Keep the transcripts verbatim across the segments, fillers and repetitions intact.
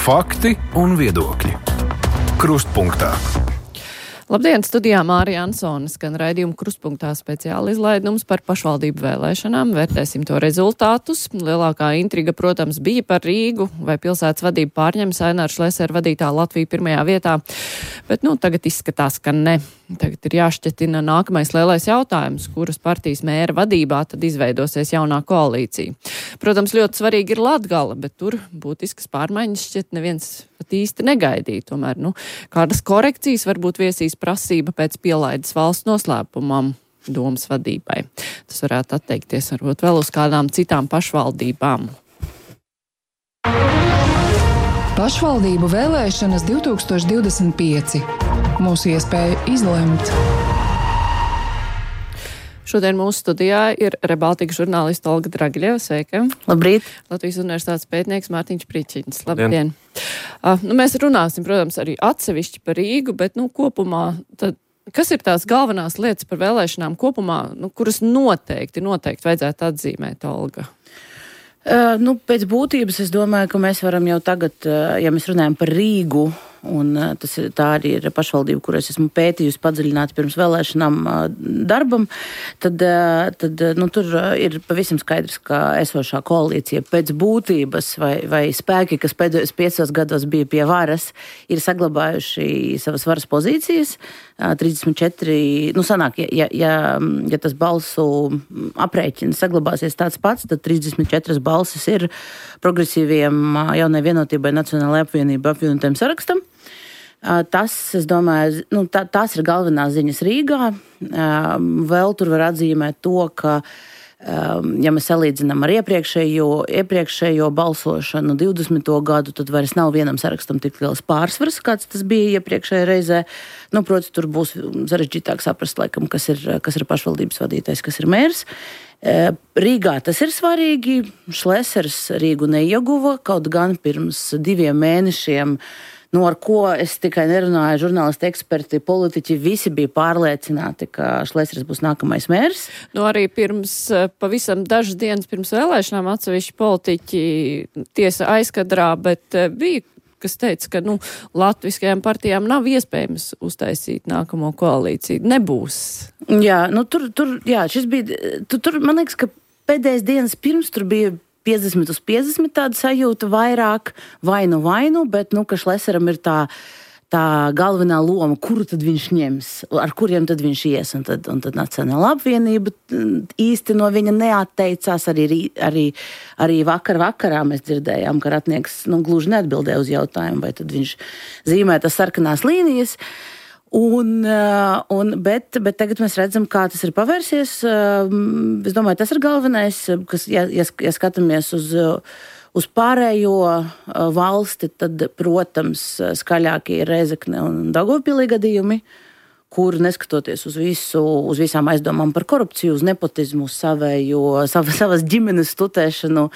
Fakti un viedokļi. Krustpunktā. Labdien, studijā Mārija Ansone, skan raidījuma Krustpunktā speciāla izlaidums par pašvaldību vēlēšanām. Vērtēsim to rezultātus. Lielākā intriga, protams, bija par Rīgu, vai pilsētas vadību pārņems Aināra Šlesera vadītā Latvija pirmajā vietā. Bet, nu, tagad izskatās, ka ne. Tagad ir jāšķetina nākamais lielais jautājums, kuras partijas mēra vadībā tad izveidosies jaunā koalīcija. Protams, ļoti svarīgi ir Latgala, bet tur būtiskas pārmaiņas šķiet neviens pat īsti negaidīja. Tomēr, nu, kādas korekcijas varbūt viesīs prasība pēc pielaides valsts noslēpumam domas vadībai. Tas varētu atteikties varbūt vēl uz kādām citām pašvaldībām. Pašvaldību vēlēšanas divi tūkstoši divdesmit pieci. Mūsu iespēja izlemt. Šodien mūsu studijā ir Rebaltika žurnālista Olga Dragiļeva. Sveika! Labrīt! Latvijas universitātes pētnieks Mārtiņš Pričins. Labdien! Uh, nu, mēs runāsim, protams, arī atsevišķi par Rīgu, bet, nu, kopumā tad kas ir tās galvenās lietas par vēlēšanām kopumā, nu, kuras noteikti, noteikti vajadzētu atzīmēt, Olga? Uh, nu, pēc būtības es domāju, ka mēs varam jau tagad, uh, ja mēs runājam par Rīgu, un uh, tas ir, tā arī ir pašvaldība, kur es esmu pētījusi padziļināti pirms vēlēšanām uh, darbam, tad, uh, tad nu, tur ir pavisam skaidrs, ka esošā koalīcija pēc būtības vai, vai spēki, kas pēdējos piecos gados bija pie varas, ir saglabājuši savas varas pozīcijas. Uh, trīsdesmit četri, nu sanāk, ja, ja, ja, ja tas balsu aprēķins saglabāsies tāds pats, tad trīsdesmit četras balsis ir progresīviem uh, jaunai vienotībai Nacionālajai apvienībai apvienotiem sarakstam. Tas, es domāju, nu, tā, tās ir galvenās ziņas Rīgā. Vēl tur var atzīmēt to, ka, ja mēs salīdzinām ar iepriekšējo, iepriekšējo balsošanu divdesmito gadu, tad vairs nav vienam sarakstam tik liels pārsvars, kāds tas bija iepriekšējā reizē. Nu, protams, tur būs sarežģītāk saprast, laikam, kas ir, kas ir pašvaldības vadītājs, kas ir mērs. Rīgā tas ir svarīgi. Šlesers Rīgu neieguva, kaut gan pirms diviem mēnešiem, nu, ar ko es tikai nerunāju, žurnālisti, eksperti, politiķi, visi bija pārliecināti, ka Šlesers būs nākamais mērs. Nu, arī pirms pavisam dažas dienas pirms vēlēšanām atsevišķi politiķi tiesa aizkadrā, bet bija, kas teica, ka, nu, latviskajām partijām nav iespējams uztaisīt nākamo koalīciju. Nebūs. Jā, nu, tur, tur, jā, šis bija, tur, tur, man liekas, ka pēdējais dienas pirms tur bija piecdesmit uz piecdesmit tāda sajūta vairāk, vainu vainu, bet, nu, ka Šleseram ir tā, tā galvenā loma, kuru tad viņš ņems, ar kuriem tad viņš ies, un tad, un tad Nacionālā apvienība īsti no viņa neatteicās, arī, arī, arī vakar vakarā mēs dzirdējām, ka Ratnieks, nu, gluži neatbildēja uz jautājumu, vai tad viņš zīmē tas sarkanās līnijas. Un, un, bet, bet tagad mēs redzam, kā tas ir pavērsies. Es domāju, tas ir galvenais, kas, ja, ja, ja skatāmies uz, uz pārējo valsti, tad, protams, skaļākie ir Rēzekne un Daugavpilī gadījumi, kur neskatoties uz visu, uz visām aizdomām par korupciju, uz nepotizmu, savējo, sav, savas ģimenes tutēšanu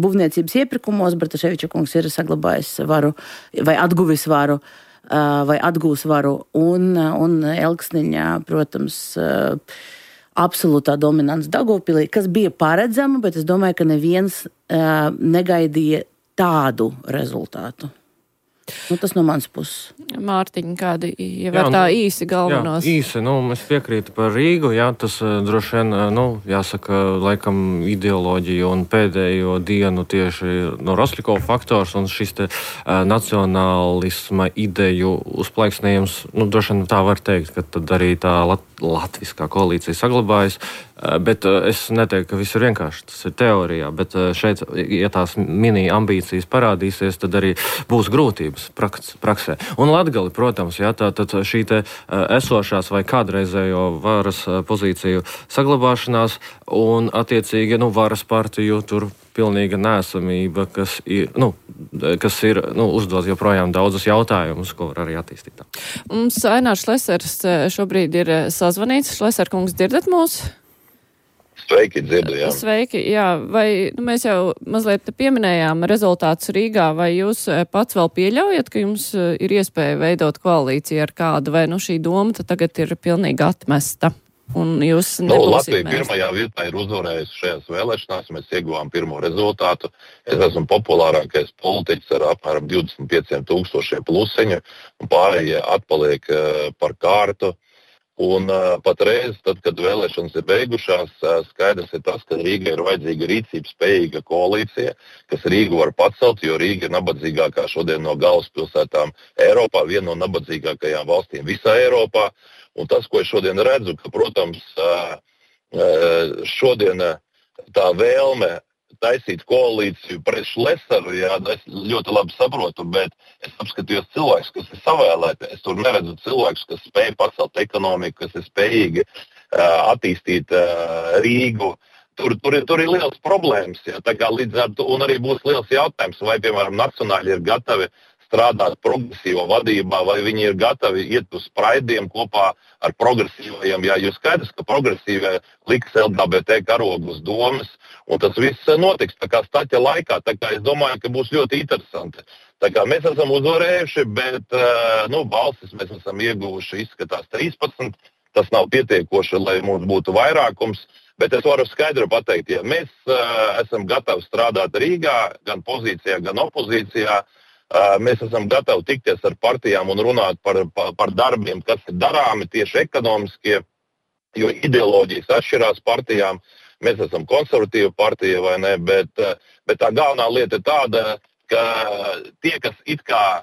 būvniecības iepirkumos, Bartaševiča kungs ir saglabājis varu vai atguvis varu, vai atgūs varu, un, un Elksniņā, protams, absolūtā dominants Daugavpilī, kas bija paredzama, bet es domāju, ka neviens negaidīja tādu rezultātu. Nu, tas no manas puses. Mārtiņ, kādi jau var tā īsi galvenos? Jā, īsi, nu, mēs piekrītu par Rīgu, jā, tas droši vien, nu, jāsaka, laikam ideoloģija un pēdējo dienu tieši no Rosļikova faktors un šis te uh, nacionālisma ideju uzplaiksnējums, nu, droši vien tā var teikt, ka tad arī tā lat latviskā koalīcija saglabājas, uh, bet uh, es neteiktu, ka viss ir vienkārši, tas ir teorijā, bet uh, šeit, ja tās mini ambīcijas parādīsies, tad arī būs grūtības praks, praksē. Un Latgali, protams, jā, tā tad šī te uh, esošās vai kādreizējo varas uh, pozīciju saglabāšanās un attiecīgi, nu, varas partiju tur pilnīga neesamība, kas ir, nu, kas ir, nu, uzdod joprojām daudzus jautājumus, ko var arī attīstīt. Mums Ainārs Šlesers šobrīd ir sazvanīts. Šleser kungs, dzirdat mūs? Sveiki, dzirdu, jā. Sveiki, jā. Vai, nu, mēs jau mazliet pieminējām rezultātus Rīgā, vai jūs pats vēl pieļaujat, ka jums ir iespēja veidot koalīciju ar kādu, vai, nu, šī doma tad tagad ir pilnīgi atmesta? Un jūs Nu, nebūsiet Latvija mēs. pirmajā vietā ir uzvarējusi šajās vēlēšanās, mēs ieguvām pirmo rezultātu. Es esmu populārākais politiķis ar apmēram divdesmit pieciem tūkstošiem plusiņu, un pārējie atpaliek uh, par kārtu. Un uh, patreiz, tad, kad vēlēšanas ir beigušās, uh, skaidrs ir tas, ka Rīga ir vajadzīga rīcības spējīga koalīcija, kas Rīgu var pacelt, jo Rīga ir nabadzīgākā šodien no galvaspilsētām Eiropā, viena no nabadzīgākajām valstīm visā Eiropā. Un tas, ko es šodien redzu, ka, protams, uh, uh, šodien uh, tā vēlme taisīt koalīciju pret Šlesaru, jā, es ļoti labi saprotu, bet es apskatījos cilvēkus, kas ir savēlēti. Es tur neredzu cilvēkus, kas spēj pacelt ekonomiku, kas ir spējīgi uh, attīstīt uh, Rīgu. Tur, tur, ir, tur ir liels problēmas, jā, tā kā līdz ar to, un arī būs liels jautājums, vai, piemēram, nacionāļi ir gatavi strādāt progresīvo vadībā, vai viņi ir gatavi iet uz spraidiem kopā ar progresīvajiem. Jā, jo skaidrs, ka progresīvie liks L G B T karogu uz domas, un tas viss notiks tā kā staķa laikā. Tā kā es domāju, ka būs ļoti interesanti. Tā kā mēs esam uzvarējuši, bet nu, balsis mēs esam ieguvuši, izskatās trīspadsmit. Tas nav pietiekoši, lai mums būtu vairākums. Bet es varu skaidri pateikt, ja mēs uh, esam gatavi strādāt Rīgā, gan pozīcijā, gan opozīcijā, uh, mēs esam gatavi tikties ar partijām un runāt par, par, par darbiem, kas ir darāmi tieši ekonomiskie, jo ideoloģijas atšķirās partijām. Mēs esam konservatīva partija, vai ne, bet, uh, bet tā galvenā lieta ir tāda, ka tie, kas it kā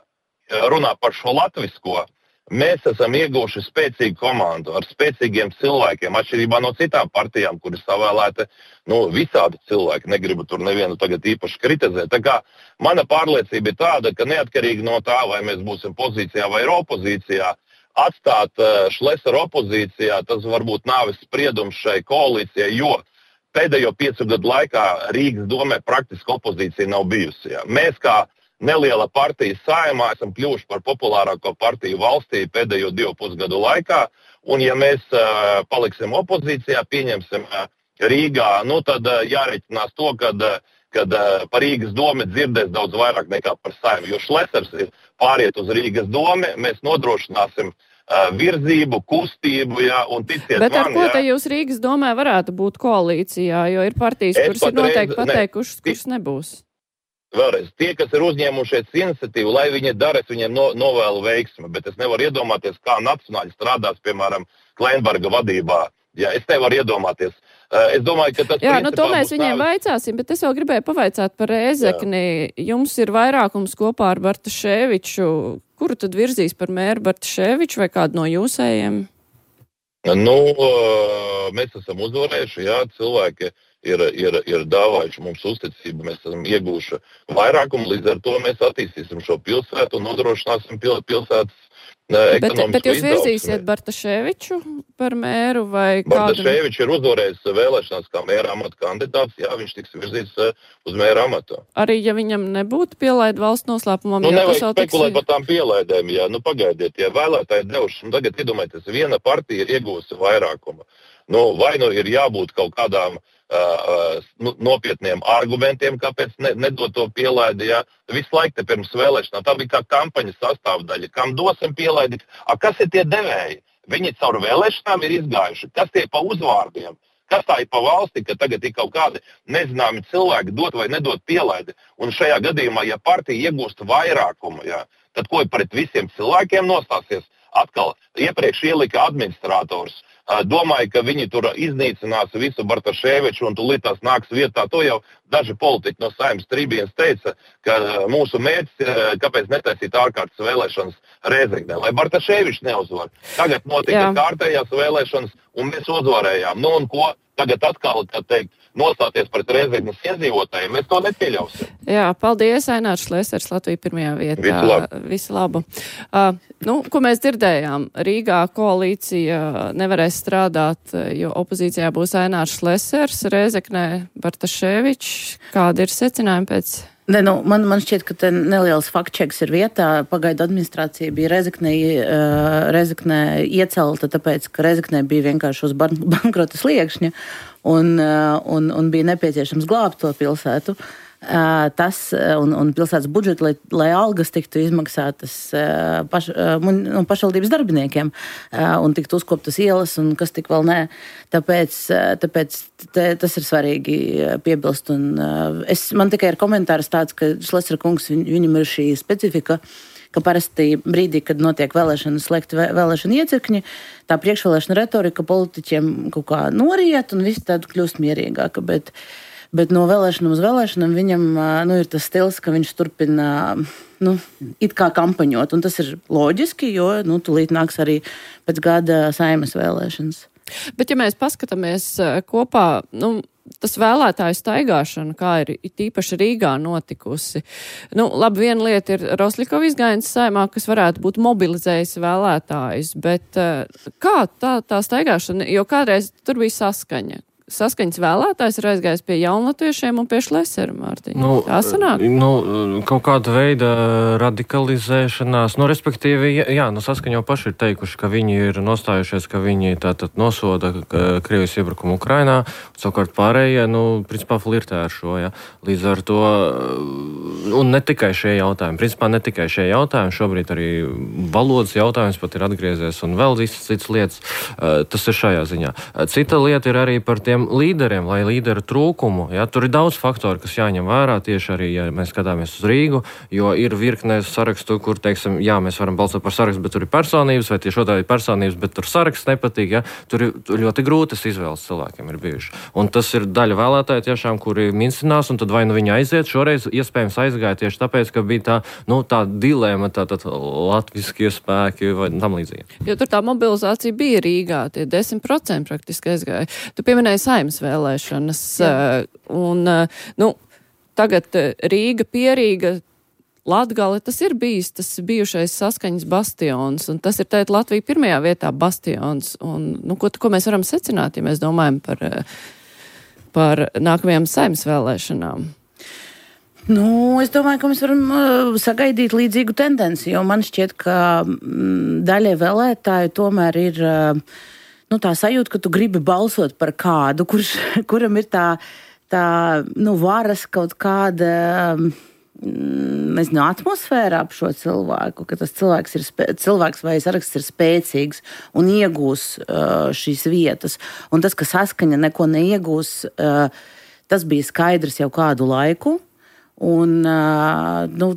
runā par šo latvisko, mēs esam ieguvuši spēcīgu komandu ar spēcīgiem cilvēkiem, atšķirībā no citām partijām, kur ir savēlēti nu, visādi cilvēki. Negribu tur nevienu tagad īpaši kritizēt. Tā kā mana pārliecība ir tāda, ka neatkarīgi no tā, vai mēs būsim pozīcijā vai opozīcijā, atstāt uh, Šlesaru opozīcijā, tas varbūt nāves spriedums šai koalīcijai, jo pēdējo piecu gadu laikā Rīgas domē praktiski opozīcija nav bijusi. Jā. Mēs kā neliela partija Saeimā esam kļuvuši par populārāko partiju valstī pēdējo divu pusgadu laikā, un ja mēs uh, paliksim opozīcijā, pieņemsim uh, Rīgā, nu tad uh, jāreķinās to, kad, uh, kad uh, par Rīgas domi dzirdēs daudz vairāk nekā par Saeimu, jo Šlesers ir pāriet uz Rīgas domi, mēs nodrošināsim uh, virzību, kustību, jā, un ticiet Bet ar man, ko jā. te jūs Rīgas domē varētu būt koalīcijā, jo ir partijas, Es kuras ir patreiz- noteikti pateikušas, ne, kuras nebūs? Vēlreiz, tie, kas ir uzņēmušies iniciatīvu, lai viņi dara, es viņiem no, novēlu veiksmi, bet es nevaru iedomāties, kā nacionāļi strādās, piemēram, Kleinberga vadībā. Jā, es nevaru iedomāties. Uh, es domāju, ka tas... Jā, nu to mēs būs viņiem nāvis- vaicāsim, bet es vēl gribēju pavaicāt par Rēzekni. Jums ir vairākums kopā ar Bartaševiču. Kuru tad virzīs par mēru Bartaševiču vai kādu no jūsējiem? Nu, uh, mēs esam uzvarējuši, jā, cilvēki ir, ir, ir dāvājuši mums uzticību, mēs esam iegūši vairākumu, līdz ar to mēs attīstīsim šo pilsētu un nodrošināsim pil, pilsētas uh, Bet, ekonomisko bet jūs virzīsiet izaugsmi. Bartaševiču par mēru vai kādu? Bartaševičs ir uzvarējis vēlēšanās kā mēra amata kandidāts, jā, viņš tiks virzīts uh, uz mēra amatu. Arī ja viņam nebūtu pielaida valsts noslēpumam, Nu, jo tas nevajag jau tiks... spekulēt par tām pielaidēm, jā, nu pagaidiet, ja vēlētāji devuši, un tagad iedomājieties, viena partija ir iegūsi vairākumu. Nu, vai nu ir jābūt kaut kādām uh, nu, nopietniem argumentiem, kāpēc ne, nedot to pielaidi, jā. Visu laiku te pirms vēlēšanām, tā bija kā kampaņas sastāvdaļa, kam dosim pielaidi, a, kas ir tie devēji? Viņi caur vēlēšanām ir izgājuši, kas tie pa uzvārdiem? Kas tā ir pa valsti, ka tagad ir kaut kādi nezināmi cilvēki dot vai nedot pielaidi? Un šajā gadījumā, ja partija iegūst vairākumu, jā, tad ko pret visiem cilvēkiem nostāsies? Atkal iepriekš ielika administrators. Domāju, ka viņi tur iznīcinās visu Bartaševiču un tūlīt tās nāks vietā. To jau daži politiķi no Saeimas tribīnes teica, ka mūsu mērķis, kāpēc netaisīt ārkārtas vēlēšanas Rēzeknē, lai Bartaševičs neuzvar. Tagad notika Jā. kārtējās vēlēšanas un mēs uzvarējām. Nu un ko? Tagad atkal, kā teikt, nostāties pret Rēzeknes iedzīvotājiem, mēs to nepieļausim. Jā, paldies, Ainārs Šlesers, Latvija pirmajā vietā. Visu labu. Visu labu. Uh, nu, ko mēs dzirdējām? Rīgā koalīcija nevarēs strādāt, jo opozīcijā būs Ainārs Šlesers, Rēzeknē Bartaševičs. Kādi ir secinājumi pēc? Ne, nu, man, man šķiet, ka te neliels faktčeks ir vietā. Pagaidu administrācija bija Rezeknē, uh, Rezeknē iecelta, tāpēc, ka Rezeknē bija vienkārši uz ban bankrota sliekšņa un, uh, un, un bija nepieciešams glābt to pilsētu. tas un, un pilsētas budžeti, lai, lai algas tiktu izmaksātas paš, nu, pašvaldības darbiniekiem un tiktu uzkoptas ielas un kas tik vēl nē. Tāpēc, tāpēc te, tas ir svarīgi piebilst. Un, es, man tikai ir komentārs tāds, ka Šlesera kungs, viņ, viņam ir šī specifika, ka parasti brīdī, kad notiek vēlēšanas, slēgt vēlēšana iecirkņi, tā priekšvēlēšana retorika politiķiem kaut kā noriet un viss tādu kļūst mierīgāka, bet Bet no vēlēšanām uz vēlēšanām viņam nu, ir tas stils, ka viņš turpina nu, it kā kampaņot. Un tas ir loģiski, jo nu, tūlīt nāks arī pēc gada Saeimas vēlēšanas. Bet ja mēs paskatāmies kopā, nu, tas vēlētāju staigāšana, kā ir tīpaši Rīgā notikusi. Nu, labi, viena lieta ir Rosļikova izgājiens Saeimā, kas varētu būt mobilizējis vēlētājus, bet kā tā, tā staigāšana, jo kādreiz tur bija saskaņa. Saskaņas vēlētājs ir aizgājis pie jaunlatviešiem un pie Šlesera, Mārtiņa. Nu, tā sanāk? Nu, kaut kāda veida radikalizēšanās, nu, respektīvi, jā, nu, Saskaņa jau paši ir teikuši, ka viņi ir nostājušies, ka viņi tātad nosoda Krievijas iebrukumu Ukrainā, savukārt pārējie, nu, principā flirtē ar šo, jā. Līdz ar to, un ne tikai šie jautājumi, principā ne tikai šie jautājumi, šobrīd arī valodas jautājums pat ir atgriezies un vēl visas citas lietas, tas ir šajā ziņā. Cita lieta ir arī par tiem līderiem, lai līderu trūkumu. Ja, tur ir daudz faktoru, kas jāņem vērā tieši arī, ja mēs skatāmies uz Rīgu, jo ir virkne sarakstu, kur, teiksim, jā, mēs varam balsot par sarakstu, bet tur ir personības, vai tieši otrādi personības, bet tur saraksts nepatīk. Ja, tur ir tur ļoti grūtas izvēles cilvēkiem ir bijuši. Un tas ir daļa vēlētāji tiešām, kuri mincinās, un tad vai nu viņi aiziet, šoreiz iespējams aizgāja tieši tāpēc, ka bija tā, nu, tā dilēma, tā, tā, tā latviskie spēki vai tam līdzīgi. Jo tur tā mobilizācija bija Rīgā, tie desmit procenti praktiski aizgāja. Tu pieminēji Saeimas vēlēšanas, uh, un, uh, nu, tagad uh, Rīga, Pierīga, Latgale, tas ir bijis, tas bijušais Saskaņas bastions, un tas ir tēt Latvija pirmajā vietā bastions, un, nu, ko, ko mēs varam secināt, ja mēs domājam par, uh, par nākamajām Saeimas vēlēšanām? Nu, es domāju, ka mēs varam uh, sagaidīt līdzīgu tendenci, jo man šķiet, ka mm, daļai vēlētāju tomēr ir uh, nu, tā sajūta, ka tu gribi balsot par kādu, kurš, kuram ir tā, tā nu, varas kaut kāda, nezinu, atmosfēra ap šo cilvēku, ka tas cilvēks, ir spē, cilvēks vai saraksts ir spēcīgs un iegūs uh, šīs vietas. Un tas, ka Saskaņa neko neiegūs, uh, tas bija skaidrs jau kādu laiku. Un, nu,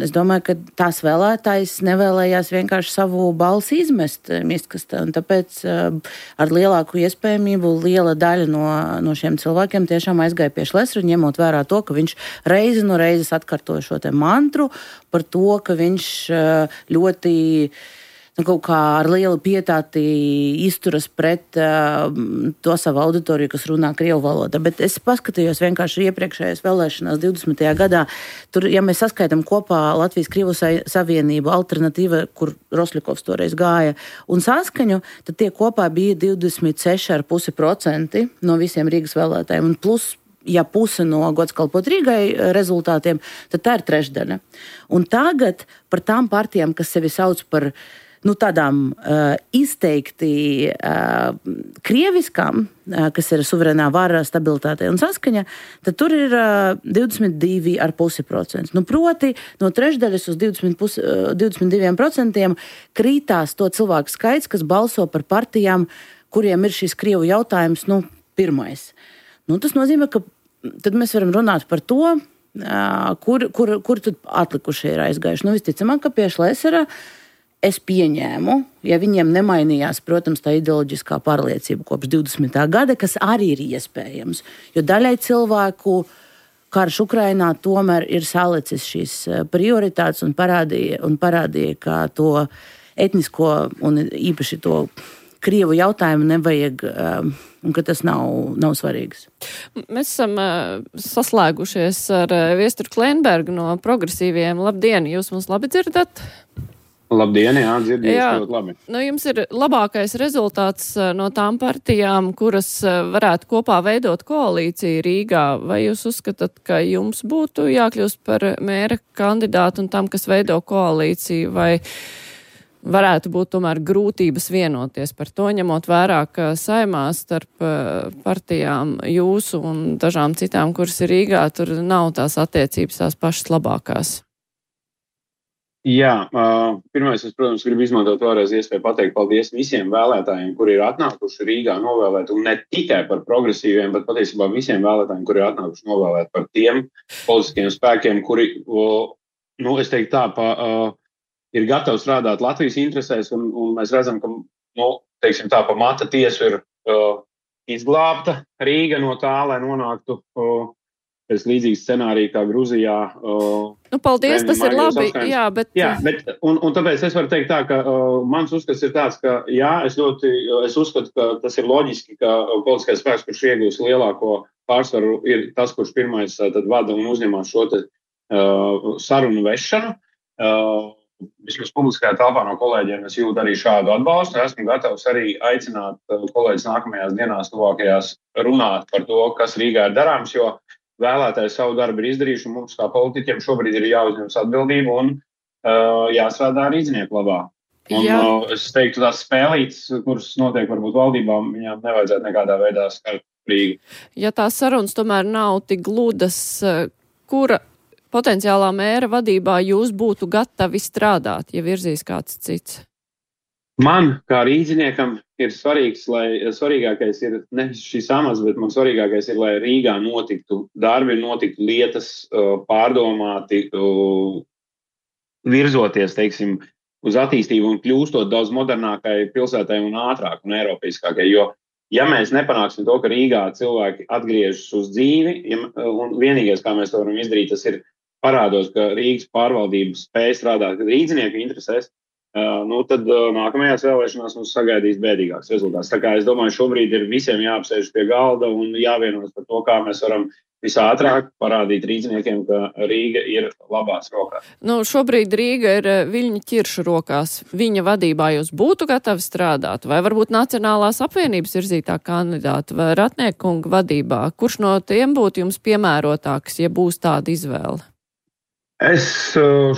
es domāju, ka tās vēlētājs nevēlējās vienkārši savu balsi izmest mistkastē, un tāpēc ar lielāku iespējamību liela daļa no, no šiem cilvēkiem tiešām aizgāja pie Šlesera, ņemot vērā to, ka viņš reizi no reizes atkārtoja šo te mantru par to, ka viņš ļoti nu, kaut kā ar lielu pietāti izturas pret uh, to savu auditoriju, kas runā krievu valodā. Bet es paskatījos vienkārši iepriekšējās vēlēšanās divdesmitajā gadā. Tur, ja mēs saskaitām kopā Latvijas Krievu savienību, alternatīva, kur Rosļikovs toreiz gāja, un Saskaņu, tad tie kopā bija divdesmit seši komats pieci procenti no visiem Rīgas vēlētājiem. Un plus, ja puse no gods kalpot Rīgai rezultātiem, tad tā ir trešdaļa. Un tagad par tām partijām, kas sevi sauc par nu, tādām uh, izteikti uh, krieviskām, uh, kas ir suverēnā vara, stabilitāte un Saskaņa, tad tur ir uh, divdesmit divi komats pieci procenti. Nu, proti, no trešdaļas uz divdesmit divi procenti krītās to cilvēku skaits, kas balso par partijām, kuriem ir šis krievu jautājums, nu, pirmais. Nu, tas nozīmē, ka tad mēs varam runāt par to, uh, kur, kur, kur tad atlikušie ir aizgājuši. Nu, visticamāk, ka pie Šlesera es pieņēmu, ja viņiem nemainījās, protams, tā ideoloģiskā pārliecība kopš divdesmitā gada, kas arī ir iespējams. Jo daļai cilvēku karš Ukrainā tomēr ir salicis šīs prioritātes un parādīja, un parādīja, ka to etnisko un īpaši to krievu jautājumu nevajag un ka tas nav, nav svarīgs. Mēs esam uh, saslēgušies ar uh, Viesturu Klenbergu no Progresīviem. Labdien, jūs mums labi dzirdat? Labdien, jā, dzirdējuši ļoti labi. Nu, jums ir labākais rezultāts no tām partijām, kuras varētu kopā veidot koalīciju Rīgā. Vai jūs uzskatāt, ka jums būtu jākļūst par mēra kandidātu un tam, kas veido koalīciju, vai, varētu būt tomēr grūtības vienoties par to, ņemot vērā, ka saimā starp partijām jūsu un dažām citām, kuras ir Rīgā, tur nav tās attiecības tās pašas labākās. Jā, uh, pirmais, es, protams, gribu izmantot vēlreiz iespēju pateikt paldies visiem vēlētājiem, kuri ir atnākuši Rīgā novēlēt, un ne tikai par progresīviem, bet patiesībā visiem vēlētājiem, kuri ir atnākuši novēlēt par tiem politiskiem spēkiem, kuri, uh, nu, es teiktu tā, pa, uh, ir gatavi strādāt Latvijas interesēs, un, un mēs redzam, ka, nu, teiksim tā, pa mata tiesu ir uh, izglābta Rīga no tā, lai nonāktu uh, pēc līdzīgas scenārija kā Gruzijā. Uh, nu, paldies, tas ir labi, apskaņas. jā, bet... Jā, bet, un, un tāpēc es varu teikt tā, ka uh, mans uzskats ir tāds, ka jā, es ļoti, es uzskatu, ka tas ir loģiski, ka uh, politiskais spēks, kurš iegūs lielāko pārsvaru, ir tas, kurš pirmais uh, tad vada un uzņemās šo te uh, sarunu vešanu. Uh, Vismaz publiskajā telpā no kolēģiem es jūtu arī šādu atbalstu. Esmu gatavs arī aicināt kolēģis nākamajās dienās, tuvākajās runāt par to, kas Rīgā ir darāms, jo vēlētāji savu darbu ir izdarījuši, un mums kā politiķiem šobrīd ir jāuzņemas atbildība un uh, jāstrādā rīznieku labā. Un Jā. uh, es teiktu, tās spēlītes, kuras notiek varbūt valdībām, viņām nevajadzētu nekādā veidā skart Rīgu. Ja tās sarunas tomēr nav tik gludas, kura potenciālā mēra vadībā jūs būtu gatavi strādāt, ja virzīs kāds cits? Man, kā rīdziniekam, ir svarīgs, lai svarīgākais ir ne šis amats, bet man svarīgākais ir, lai Rīgā notiktu darbi, notiktu lietas pārdomāti, virzoties, teiksim, uz attīstību un kļūstot daudz modernākai pilsētai un ātrāk un eiropeiskākai, jo ja mēs nepanāksim to, ka Rīgā cilvēki atgriežas uz dzīvi, ja, un vienīgais, kā mēs to varam izdarīt, tas ir parādos, ka Rīgas pārvaldība spēj strādāt rīdzinieku interesēs, uh, nu tad uh, nākamajās vēlēšanās mums sagaidīs bēdīgāks rezultāts. Tā kā es domāju, šobrīd ir visiem jāapsēž pie galda un jāvienojas par to, kā mēs varam visātrāk parādīt rīdziniekiem, ka Rīga ir labās rokās. Nu, šobrīd Rīga ir Viļņa Ķirša rokās. Viņa vadībā jūs būtu gatavi strādāt? Vai varbūt Nacionālās apvienības virzītā kandidāta vai Ratniekunga vadībā? Kurš no tiem būtu jums piemērotāks, ja būs tāda izvēle? Es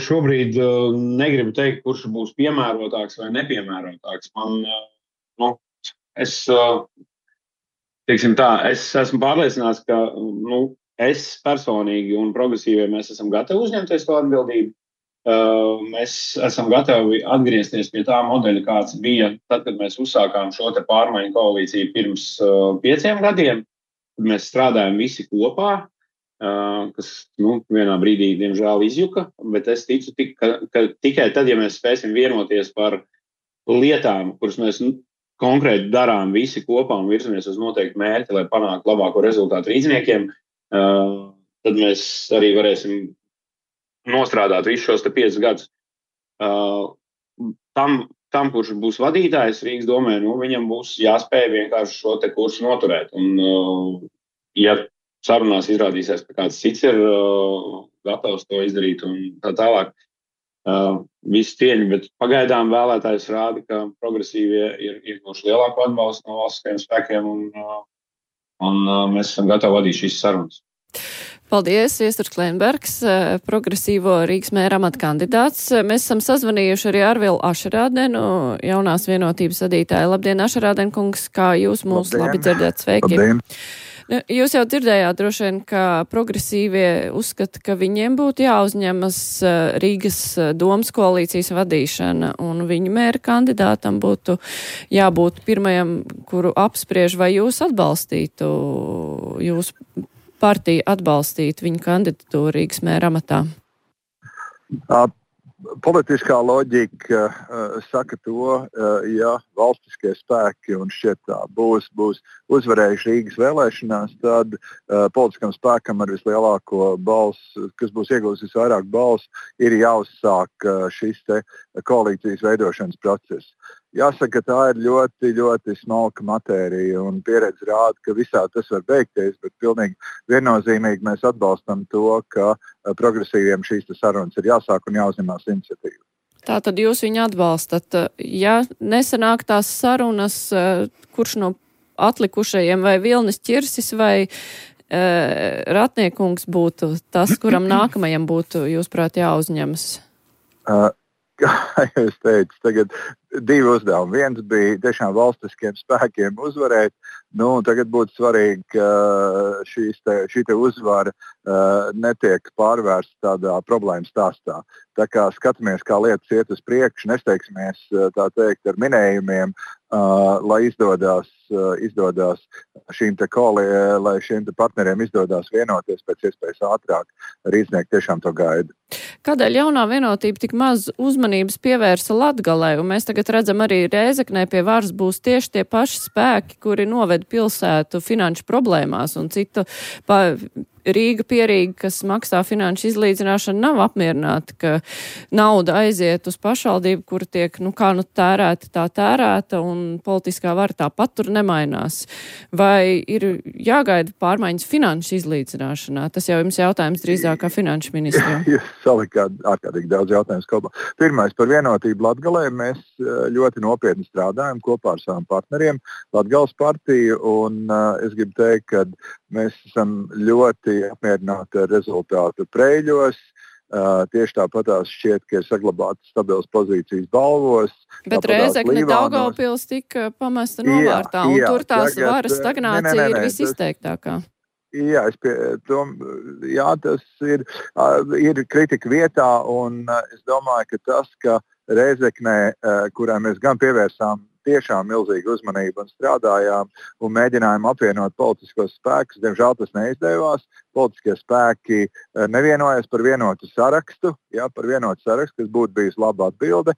šobrīd negribu teikt, kurš būs piemērotāks vai nepiemērotāks. Man, nu, es... Teiksim tā, es esmu pārliecināts, ka nu, es personīgi un progresīvie mēs esam gatavi uzņemties to atbildību. Uh, mēs esam gatavi atgriezties pie tā modeļa, kāds bija tad, kad mēs uzsākām šo te pārmaiņu koalīciju pirms uh, pieciem gadiem, kad mēs strādājam visi kopā, uh, kas nu, vienā brīdī, diemžēl, izjuka, bet es ticu, tik, ka, ka tikai tad, ja mēs spēsim vienoties par lietām, kuras mēs... Nu, konkrēti darām visi kopā un virzamies uz noteiktu mērķi, lai panāktu labāko rezultātu rīdziniekiem, uh, tad mēs arī varēsim nostrādāt visus šos te piecus gadus. Uh, tam, tam, kurš būs vadītājs Rīgas domē, nu, viņam būs jāspēj vienkārši šo te kursu noturēt. Un, uh, ja sarunās izrādīsies, ka kāds cits ir uh, gatavs to izdarīt un tā tālāk, Uh, visu cieņu, bet pagaidām vēlētājs rāda, ka progresīvie ir ieguvuši lielāku atbalstu no valstiskajiem spēkiem un, uh, un uh, mēs esam gatavi vadīt šīs sarunas. Paldies, Iesturs Klenbergs, progresīvo Rīgas mēra amata kandidāts. Mēs esam sazvanījuši arī Arvilu Ašarādenu, jaunās vienotības vadītāju. Labdien, Ašarāden kungs, kā jūs mūs Labdien. Labi dzirdat, sveiki. Labdien. Jūs jau dzirdējāt droši vien, ka progresīvie uzskata, ka viņiem būtu jāuzņemas Rīgas domas koalīcijas vadīšana un viņu mēra kandidātam būtu jābūt pirmajam, kuru apspriež, vai jūs atbalstītu, jūs partija atbalstītu viņu kandidatūru Rīgas mēra amatā? Uh, politiskā loģika uh, saka to, uh, ja valstiskie spēki un šķiet tā būs, būs uzvarējuši Rīgas vēlēšanās, tad uh, politiskam spēkam ar vislielāko balsu, kas būs iegūs visvairāk balsu, ir jāuzsāk uh, šis te koalīcijas veidošanas process. Jāsaka, tā ir ļoti, ļoti smalka matērija un pieredze rāda, ka visā tas var beigties, bet pilnīgi viennozīmīgi mēs atbalstam to, ka progresīviem šīs sarunas ir jāsāk un jāuzņemās iniciatīva. Tātad jūs viņu atbalstat. Ja nesanāk tās sarunas, kurš no atlikušajiem vai Vilnis Ķirsis vai e, Ratniekungs būtu tas, kuram nākamajam būtu, jūs prāt, jāuzņemas? Uh, kā jūs teicat, tagad divi uzdevumi. Viens bija tiešām valstiskiem spēkiem uzvarēt. Nu, tagad būtu svarīgi, ka šīs te, šī te uzvara uh, netiek pārvērsta tādā problēmu stāstā. Tā kā skatāmies, kā lietas iet uz priekšu, nesteigsimies tā teikt ar minējumiem, uh, lai izdodas, uh, izdodas šīm te koli, lai šiem te partneriem izdodas vienoties pēc iespējas ātrāk. Rīdznieki tiešām to gaida. Kādēļ jaunā vienotība tik maz uzmanības pievērsa Latgalei, un mēs tagad redzam arī Rēzeknē pie varas būs tieši tie paši spēki, kuri noved pilsētu finanšu problēmās, un citu pa Rīga pierīga, kas maksā finanšu izlīdzināšanu, nav apmierināti, ka nauda aiziet uz pašvaldību, kur tiek, nu kā nu tērēta, tā tērēta, un politiskā vara tāpat tur nemainās. Vai ir jāgaida pārmaiņas finanšu izlīdzināšanā? Tas jau jums jautājums drīzāk kā finanšu ministriem. Jūs salikāt ārkārtīgi daudz jautājumus kopā. Pirmais par vienotību Latgalē. Mēs ļoti nopietni strādājam kopā ar saviem partneriem Latgales partiju, un uh, es gribu teikt, ka mēs esam ļoti apmierināti ar rezultātu Preļos. Uh, tieši tāpatās šķiet, ka ir saglabātas stabilas pozīcijas balvos. Bet Rēzekne Daugavpils tika pamesta novārtā, un jā, tur tās tagad, varas stagnācija ne, ne, ne, ir visizteiktākā. Jā, es pie, to, jā, tas ir, uh, ir kritika vietā, un uh, es domāju, ka tas, ka Rēzeknē, uh, kurai mēs gan pievērsām tiešām milzīgu uzmanību un strādājām un mēģinājām apvienot politiskos spēkus. Diemžēl tas neizdevās. Politiskie spēki nevienojas par vienotu sarakstu, jā, par vienotu sarakstu, kas būtu bijis laba atbilde.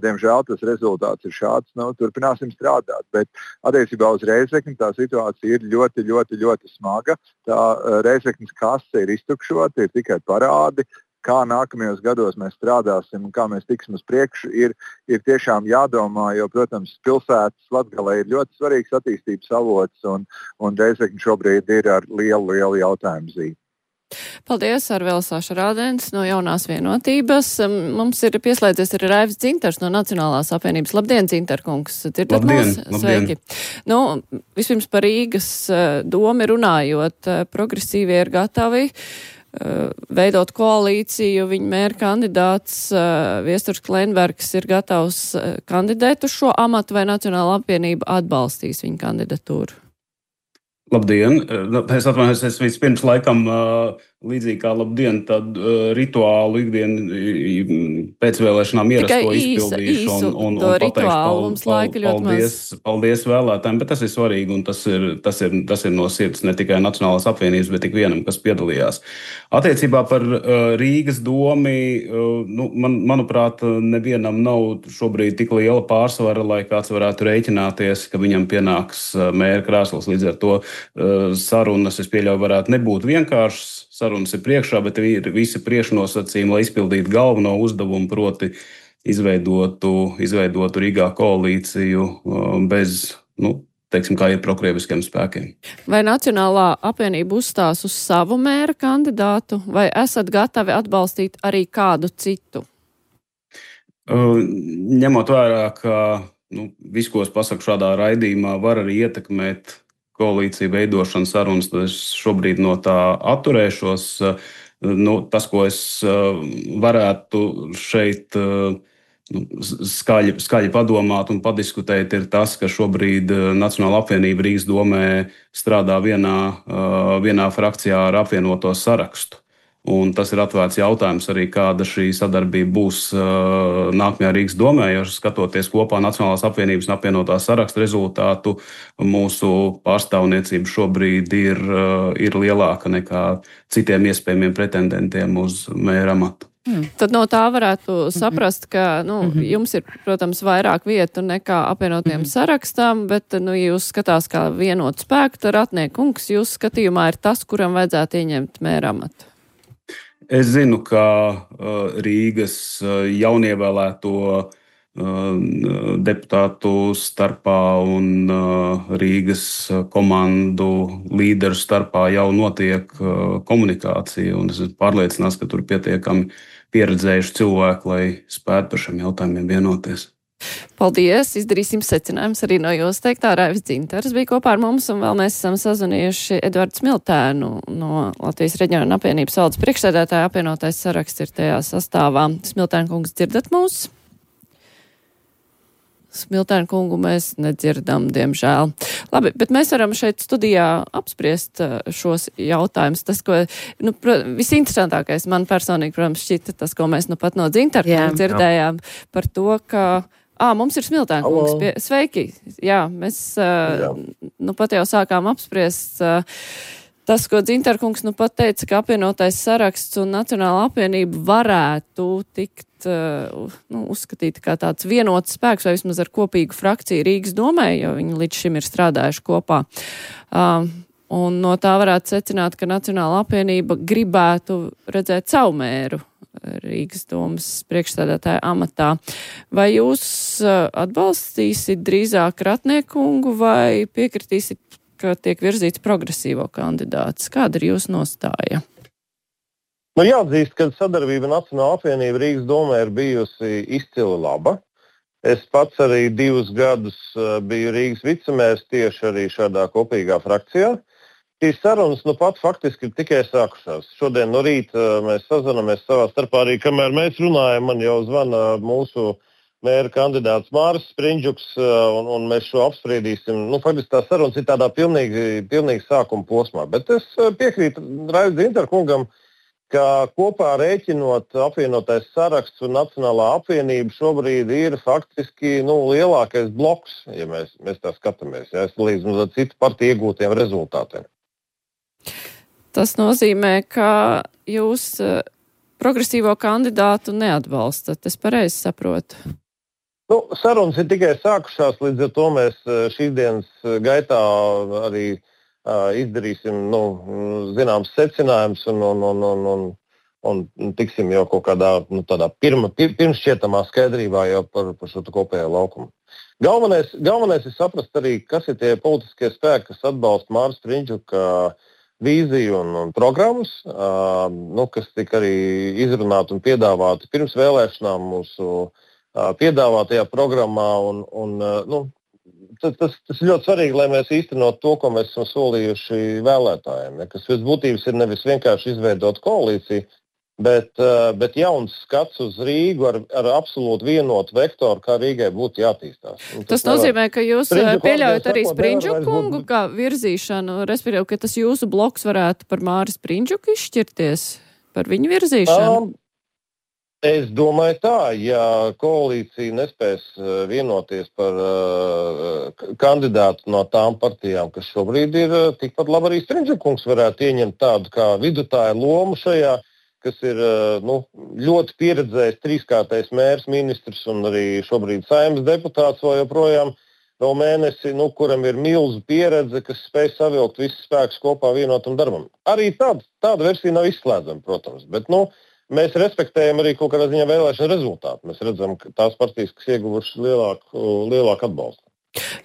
Diemžēl tas rezultāts ir šāds. Nu, turpināsim strādāt. Bet attiecībā uz Rēzekni tā situācija ir ļoti, ļoti, ļoti smaga. Tā Rēzeknes kase ir iztukšota, ir tikai parādi. Kā nākamajos gados mēs strādāsim un kā mēs tiksim uz priekšu, ir, ir tiešām jādomā, jo, protams, pilsētas Latgalē ir ļoti svarīgs attīstības avots, un, un Rēzekne šobrīd ir ar lielu, lielu jautājumu zīmi. Paldies, Arvēls Ašarādens no Jaunās vienotības. Mums ir pieslēdzies arī Raivis Dzintars no Nacionālās apvienības. Labdien, Dzintarkungs! Dzirdat mūs? Sveiki! Nu, vispirms par Rīgas domu runājot, progresīvie ir gatavi veidot koalīciju, viņa mēra kandidāts uh, Viesturs Klenbergs ir gatavs uh, kandidēt uz šo amatu, vai Nacionāla apvienība atbalstīs viņa kandidatūru? Labdien! Es atvainojos, es vispirms laikam uh, līdzīgi kā labdien, tad uh, rituālu ikdienu pēcvēlēšanām ierasto izpildīšu un, un, un pateikšu pal, pal, paldies, paldies vēlētājiem, bet tas ir svarīgi un tas ir, tas, ir, tas ir no sirds ne tikai Nacionālās apvienības, bet ik vienam, kas piedalījās. Attiecībā par uh, Rīgas domi, uh, nu, man, manuprāt, nevienam nav šobrīd tik liela pārsvara, lai kāds varētu rēķināties, ka viņam pienāks uh, mēra krēsls. Līdz ar to uh, sarunas, es pieļauju, varētu nebūt vienkāršas. Sarunas ir priekšā, bet ir visi priekšnosacījumi, lai izpildītu galveno uzdevumu, proti izveidotu, izveidotu Rīgā koalīciju bez, nu, teiksim, kā ir prokrieviskiem spēkiem. Vai Nacionālā apvienība uzstās uz savu mēra kandidātu, vai esat gatavi atbalstīt arī kādu citu? Uh, ņemot vērā, ka nu, viss, ko es pasaku šādā raidījumā, var arī ietekmēt koalīciju veidošanas sarunas, tad es šobrīd no tā atturēšos. Nu, tas, ko es varētu šeit nu, skaļi, skaļi padomāt un padiskutēt, ir tas, ka šobrīd Nacionāla apvienība Rīgas domē strādā vienā, vienā frakcijā ar apvienoto sarakstu. Un tas ir atvērts jautājums arī, kāda šī sadarbība būs uh, nākamajā Rīgas domē, jo skatoties kopā Nacionālās apvienības un apvienotā saraksta rezultātu, mūsu pārstāvniecība šobrīd ir, uh, ir lielāka nekā citiem iespējamiem pretendentiem uz mēra amatu. Hmm. Tad no tā varētu saprast, ka nu, mm-hmm. jums ir, protams, vairāk vietu nekā apvienotiem mm-hmm. sarakstam, bet, nu, jūs skatās kā vienot spēku, tad Ratniekungs, jūs skatījumā ir tas, kuram vajadzētu ieņemt mēra amatu. Es zinu, ka uh, Rīgas uh, jaunievēlēto uh, deputātu starpā un uh, Rīgas komandu līderu starpā jau notiek uh, komunikācija, un es esmu pārliecināts, ka tur pietiekami pieredzējuši cilvēki, lai spētu par šiem jautājumiem vienoties. Paldies! Izdarīsim secinājumus arī no jūs teiktā. Raivis Dzintars bija kopā ar mums, un vēl mēs esam sazvanījuši Eduardu Smiltēnu no Latvijas Reģiona apvienības valdes priekšsēdētāja. Apvienotais saraksts ir tajā sastāvā. Smiltēna kungs, dzirdat mūs? Smiltēna kungu mēs nedzirdam, diemžēl. Labi, bet mēs varam šeit studijā apspriest šos jautājumus. Tas, ko, nu, visinteresantākais man personīgi, protams, šķita tas, ko mēs nu pat no Dzintara dzirdējām par to, ka Ā, mums ir Smiltēna kungs. Pie... Sveiki! Jā, mēs uh, nu pat jau sākām apspriest uh, tas, ko Dzintara kungs nu pat teica, ka apvienotais saraksts un Nacionāla apvienība varētu tikt uh, nu, uzskatīt kā tāds vienots spēks vai vismaz ar kopīgu frakciju Rīgas domē, jo viņi līdz šim ir strādājuši kopā. Uh, un no tā varētu secināt, ka Nacionāla apvienība gribētu redzēt savu mēru Rīgas domas priekšsēdētāja amatā. Vai jūs atbalstīsit drīzāk Ratniekungu vai piekritīsit, ka tiek virzīts progresīvo kandidāts? Kāda ir jūsu nostāja? Nu, jāatzīst, ka sadarbība Nacionāla apvienība Rīgas domē ir bijusi izcili laba. Es pats arī divus gadus biju Rīgas vicemērs tieši arī šādā kopīgā frakcijā. Šīs sarunas nu pat faktiski ir tikai sākušās. Šodien no rīta mēs sazināmies savā starpā arī, kamēr mēs runājam, man jau zvana mūsu mēra kandidāts Māris Sprindžuks, un, un mēs šo apspriedīsim. Nu, faktiski tās sarunas ir tādā pilnīgi, pilnīgi sākuma posmā. Bet es piekrītu Raivis Dzintara kungam, ka kopā rēķinot apvienotais saraksts un Nacionālā apvienība šobrīd ir faktiski nu, lielākais bloks, ja mēs, mēs tā skatāmies, ja, līdz nu, citu partiju iegūtiem rezultātiem. Tas nozīmē, ka jūs progresīvo kandidātu neatbalstat. Es pareizi saprotu. Nu, sarunas ir tikai sākušās, līdz ar to mēs šīs dienas gaitā arī uh, izdarīsim nu, zināms secinājums un, un, un, un, un, un tiksim jau kaut kādā nu, tādā pirma, pir, pirmšķietamā skaidrībā jau par, par šo kopējo laukumu. Galvenais, galvenais ir saprast arī, kas ir tie politiskie spēki, kas atbalsta Māra Sprindžuka vīziju un, un programmas, uh, nu, kas tika arī izrunāti un piedāvāti pirms vēlēšanām mūsu uh, piedāvātajā programmā. Un, un, uh, nu, tas, tas, tas ir ļoti svarīgi, lai mēs īstenot to, ko mēs esam solījuši vēlētājiem. Ja, kas pēc būtības ir nevis vienkārši izveidot koalīciju, bet, uh, bet jauns skats uz Rīgu ar, ar absolūti vienotu vektoru, kā Rīgai būtu jātīstās. Un tas tas nozīmē, ka jūs pieļaujat arī Sprindžuku kungu kā virzīšanu, respektīvi, ka tas jūsu bloks varētu par Māri Sprindžuku izšķirties, par viņu virzīšanu? Um, es domāju tā, ja koalīcija nespēs vienoties par uh, kandidātu no tām partijām, kas šobrīd ir, uh, tikpat labi arī Sprindžuku kungs varētu ieņemt tādu kā vidutāju lomu šajā, kas ir nu, ļoti pieredzējis trīskārtais mērs, ministrs un arī šobrīd Saeimas deputāts vēl joprojām vēl mēnesi, nu, kuram ir milzu pieredze, kas spēj savilkt visus spēkus kopā vienotam darbam. Arī tāda, tāda versija nav izslēdzama, protams, bet nu, mēs respektējam arī kaut kādā ziņā vēlēšanu rezultātu. Mēs redzam, ka tās partijas, kas ieguvušas lielāku, lielāku atbalstu.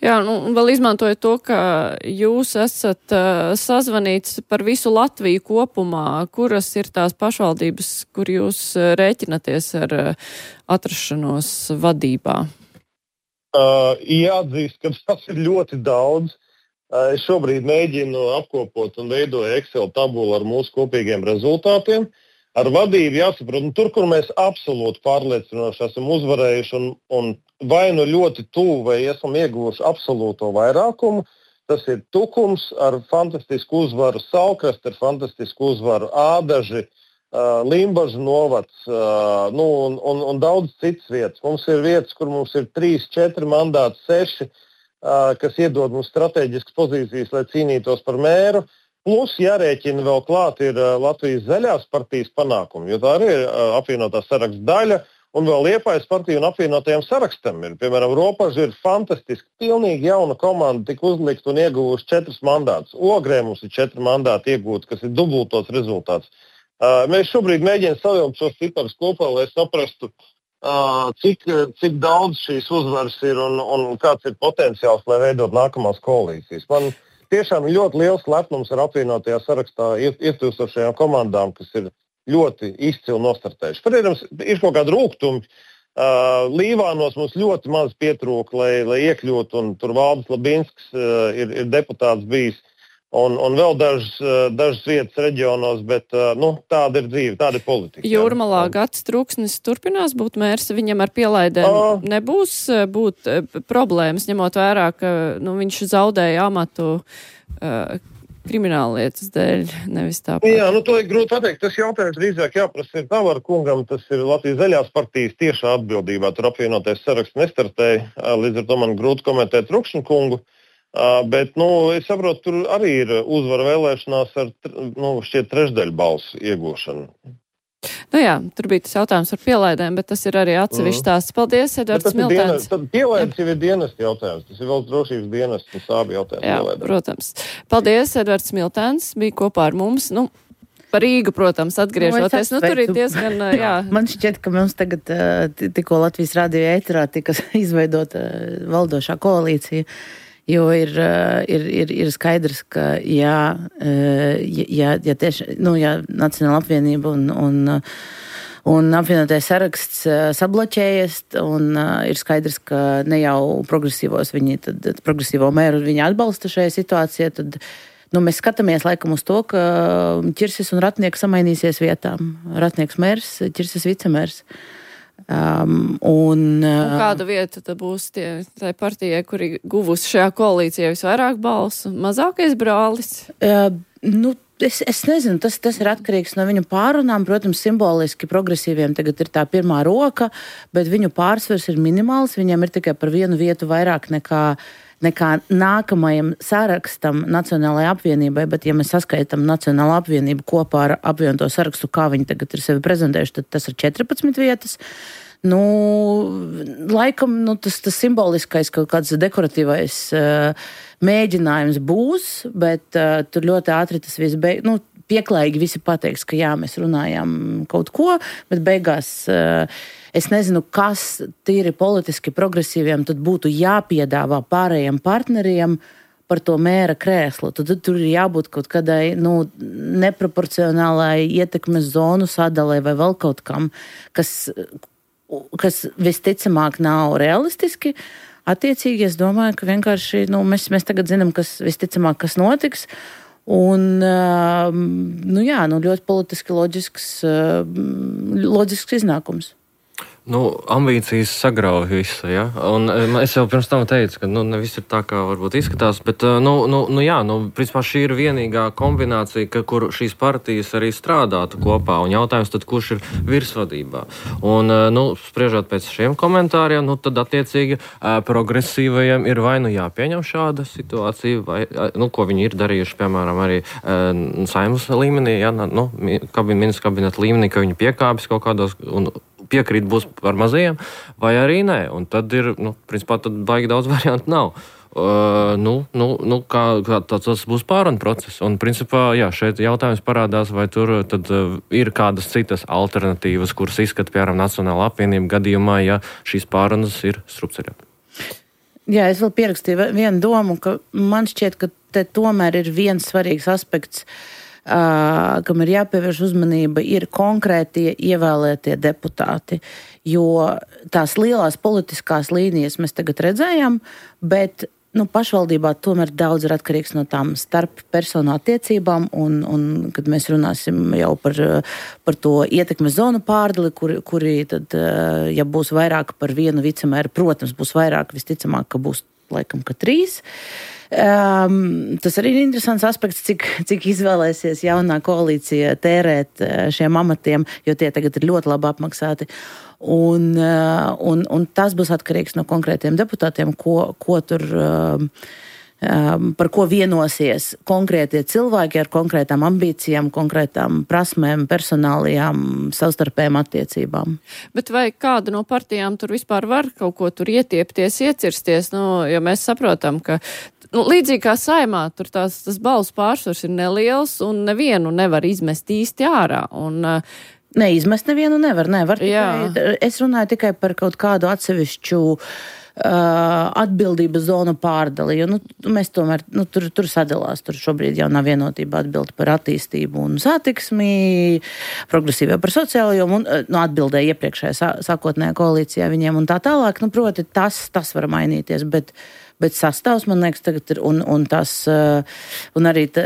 Jā, nu, vēl izmantojot to, ka jūs esat uh, sazvanīts par visu Latviju kopumā, kuras ir tās pašvaldības, kur jūs uh, rēķinaties ar uh, atrašanos vadībā? Uh, jāatzīst, ka tas ir ļoti daudz. Uh, es šobrīd mēģinu apkopot un veidoju Excel tabulu ar mūsu kopīgiem rezultātiem. Ar vadību jāsaprot, nu, tur, kur mēs absolūti pārliecinoši esam uzvarējuši un, un vai nu ļoti tuvu vai esam ieguvuši absolūto vairākumu, tas ir Tukums ar fantastisku uzvaru, Saulkrasta ar fantastisku uzvaru, Ādaži, uh, Limbažu novads uh, nu, un, un, un daudz citas vietas. Mums ir vietas, kur mums ir trīs, četri mandāti, seši, uh, kas iedod mums strateģiskas pozīcijas, lai cīnītos par mēru. Plus jārēķina vēl klāt ir Latvijas zaļās partijas panākumi, jo tā arī ir apvienotā saraksta daļa, un vēl Liepājas partija un apvienotajiem sarakstam ir. Piemēram, Ropaži ir fantastiski, pilnīgi jauna komanda, tik uzlikt un ieguvuši četras mandātus. Ogrē mums ir četri mandāti iegūti, kas ir dubultots rezultāts. Mēs šobrīd mēģinām savilkt šos ciparus kopā, lai saprastu, cik, cik daudz šīs uzvaras ir un, un kāds ir potenciāls, lai veidot nākamās koalīcijas. Man tiešām ļoti liels lepnums ar apvienotajā sarakstā ietilpstošajām komandām, kas ir ļoti izcili nostartējuši. Protams, ir kaut kādi rūgtumi, Uh, Līvānos mums ļoti maz pietrūka, lai, lai iekļūtu, un tur Valdis Labinsks uh, ir, ir deputāts bijis, un, un vēl dažas, uh, dažas vietas reģionos, bet uh, nu, tāda ir dzīve, tāda ir politika. Jūrmalā Gatis Trūksnis turpinās būt mērs, viņam ar pielaidēm uh, nebūs būt uh, problēmas, ņemot vērā, ka nu, viņš zaudēja amatu uh, krimināllietas dēļ, nevis tāpat. Jā, nu to ir grūti pateikt. Tas jautājums drīzāk jāprasa ir Tavara kungam, tas ir Latvijas zaļās partijas tiešā atbildībā. Tur apvienotais saraksts nestartēja, līdz ar to man grūti komentēt Trukšņu kungu. Bet, nu, es saprotu, tur arī ir uzvara vēlēšanās ar, nu, šķiet trešdaļu balsu iegūšanu. Nu jā, tur bija tas jautājums par pielaidēm, bet tas ir arī atsevišķs stāsts. Paldies, Edvards Miltēns. Tad pielaides jau ir dienesta jautājums. Tas ir vēl drošības dienesta un sābi jautājums. Jā, pielaidēm. Protams. Paldies, Edvards Miltēns bija kopā ar mums. Nu, par Rīgu, protams, atgriežoties. Nu, nu, tur ir diezgan, jā. Man šķiet, ka mums tagad tikko Latvijas radio ēterā tika izveidota valdošā koalīcija. Jo ir, ir, ir, ir skaidrs, ka jā, ja, ja tieši, nu, ja Nacionāla apvienība un, un, un apvienotais saraksts sabloķējies, un ir skaidrs, ka ne jau progresīvos viņi, tad progresīvo mēru viņi atbalsta šajā situācijā, tad nu, mēs skatāmies laikam uz to, ka Ķirsis un Ratnieks samainīsies vietām. Ratnieks mērs, Ķirsis vicemērs. Um, un, un kāda vieta tad būs tie, tai partijai, kuri guvusi šajā koalīcijā visvairāk balsu? Mazākais brālis? Uh, nu, es, es nezinu, tas, tas ir atkarīgs no viņu pārunām. Protams, simboliski progresīviem tagad ir tā pirmā roka, bet viņu pārsvars ir minimāls. Viņiem ir tikai par vienu vietu vairāk nekā nekā nākamajam sarakstam Nacionālajai apvienībai, bet ja mēs saskaitam Nacionālo apvienību kopā ar apvienoto sarakstu, kā viņi tagad ir sevi prezentējuši, tad tas ir četrpadsmit vietas. Nu, laikam, nu, tas, tas simboliskais kaut kāds dekoratīvais uh, mēģinājums būs, bet uh, tur ļoti ātri tas viss beig... Nu, pieklājīgi visi pateiks, ka jā, mēs runājām kaut ko, bet beigās uh, es nezinu, kas tīri politiski progresīviem tad būtu jāpiedāvā pārējiem partneriem par to mēra krēslu. Tad tur ir jābūt kaut kādai nu, neproporcionālai ietekmes zonu sadalē vai vēl kaut kam, kas, kas visticamāk nav realistiski. Attiecīgi, es domāju, ka vienkārši nu, mēs, mēs tagad zinām, kas visticamāk, kas notiks. Un, nu jā, nu ļoti politiski loģisks, loģisks iznākums. Nu, ambīcijas sagrauj visu, ja? Un es jau pirms tam teicu, ka nu, ne viss ir tā, kā varbūt izskatās, bet, nu, nu, nu jā, nu, principā šī ir vienīgā kombinācija, ka, kur šīs partijas arī strādātu kopā, un jautājums tad, kurš ir virsvadībā. Un, nu, spriežot pēc šiem komentāriem, nu, tad attiecīgi progresīvajiem ir vai nu jāpieņem šāda situācija, vai, nu, ko viņi ir darījuši, piemēram, arī Saeimas līmenī, ja, nu, kabin, ministrs kabineta līmenī, ka viņi piekāpjas kaut kādos un piekrīt būs par mazajiem, vai arī nē. Un tad ir, nu, principā, tad baigi daudz variantu nav. Uh, nu, nu, nu, kā, kā tas būs pārunu process. Un, principā, jā, šeit jautājums parādās, vai tur tad uh, ir kādas citas alternatīvas, kuras izskata, piemēram, Nacionāla apvienība gadījumā, ja šīs pārunas ir strupceļā. Jā, es vēl pierakstīju vienu domu, ka man šķiet, ka te tomēr ir viens svarīgs aspekts, Uh, kam ir jāpievērš uzmanība, ir konkrētie ievēlētie deputāti, jo tās lielās politiskās līnijas mēs tagad redzējām, bet nu, pašvaldībā tomēr daudz ir atkarīgs no tām starp personu attiecībām, un, un kad mēs runāsim jau par, par to ietekmes zonu pārdali, kuri, kuri tad, ja būs vairāk par vienu vicemēru, protams, būs vairāk, visticamāk, ka būs laikam, ka trīs. Um, tas arī ir interesants aspekts, cik, cik izvēlēsies jaunā koalīcija tērēt šiem amatiem, jo tie tagad ir ļoti labi apmaksāti. Un, un, un tas būs atkarīgs no konkrētiem deputātiem, ko, ko tur, um, par ko vienosies konkrētie cilvēki ar konkrētām ambīcijām, konkrētām prasmēm, personālijām, savstarpējām attiecībām. Bet vai kāda no partijām tur vispār var kaut ko tur ietiepties, iecirsties? Nu, jo mēs saprotam, ka nu, līdzīgi kā Saeimā, tur tās, tas balsu pārsvars ir neliels un nevienu nevar izmest īsti ārā. Un, Neizmest nevienu nevar, nevar tikai, es runāju tikai par kaut kādu atsevišķu atbildības zonu pārdali, jo nu, mēs tomēr, nu, tur, tur sadalās, tur šobrīd jau nav vienotība atbildi par attīstību un satiksmi, progresīvā par sociālajiem un nu, atbildēja iepriekšējā sākotnējā koalīcijā viņiem un tā tālāk, nu, proti, tas, tas var mainīties, bet Bet sastāvs, man liekas, tagad ir, un, un, tas, un arī tā,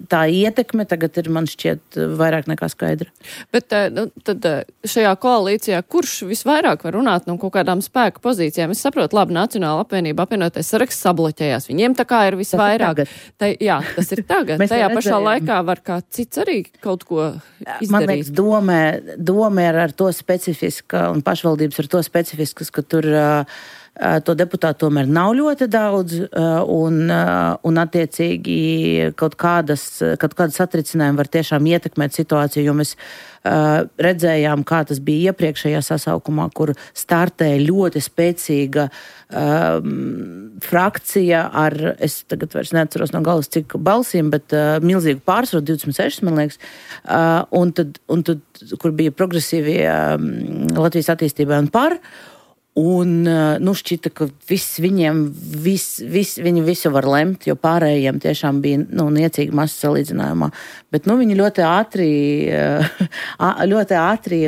tā ietekme tagad ir, man šķiet, vairāk nekā skaidra. Bet nu, tad šajā koalīcijā, kurš visvairāk var runāt no kaut kādām spēka pozīcijām? Es saprotu, labi, Nacionāla apvienība apvienotais saraksts sabloķējās. Viņiem tā kā ir visvairāk. Tā, jā, tas ir tagad. Tajā pašā laikā var kā cits arī kaut ko izdarīt. Man liekas, doma, doma ir ar to specifiska, un pašvaldības ar to specifiskas, ka tur to deputātu tomēr nav ļoti daudz, un, un attiecīgi kaut kādas, kaut kādas satricinājumi var tiešām ietekmēt situāciju, jo mēs uh, redzējām, kā tas bija iepriekšējā sasaukumā, kur startēja ļoti spēcīga um, frakcija ar, es tagad vairs neatceros no galas cik balsīm, bet uh, milzīgu pārsvaru, divdesmit seši, man liekas, uh, un, tad, un tad, kur bija progresīvie um, Latvijas attīstībai un par, Un, nu, šķita, ka viss viņiem, vis, vis, viņi visu var lemt, jo pārējiem tiešām bija, nu, niecīgi masa salīdzinājumā. Bet, nu, viņi ļoti ātri, ļoti ātri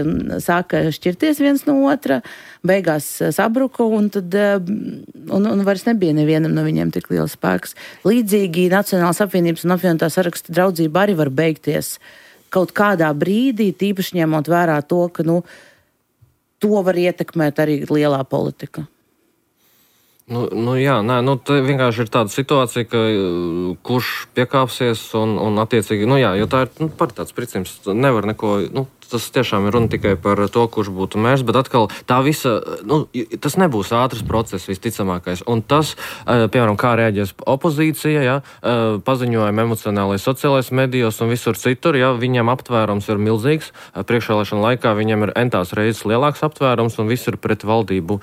sāka šķirties viens no otra, beigās sabruka, un tad, un, un vairs nebija nevienam no viņiem tik liels spēks. Līdzīgi Nacionālās apvienības un apvienotā saraksta draudzība arī var beigties kaut kādā brīdī, tīpaši ņemot vērā to, ka, nu, to var ietekmēt arī lielā politika. Nu, nu jā, nē, nu te vienkārši ir tāda situācija, ka kurš piekāpsies un, un attiecīgi, nu jā, jo tā ir nu, par tāds princips, nevar neko, nu, tas tiešām ir runa tikai par to, kurš būtu mērs, bet atkal tā visa, nu, tas nebūs ātrs process visticamākais. Un tas, piemēram, kā reaģēs opozīcija, ja, paziņojumi emocionālais sociālais medijos un visur citur, ja, viņiem aptvērums ir milzīgs, priekšvēlēšana laikā viņiem ir entās reizes lielāks aptvērums un viss ir pret valdību,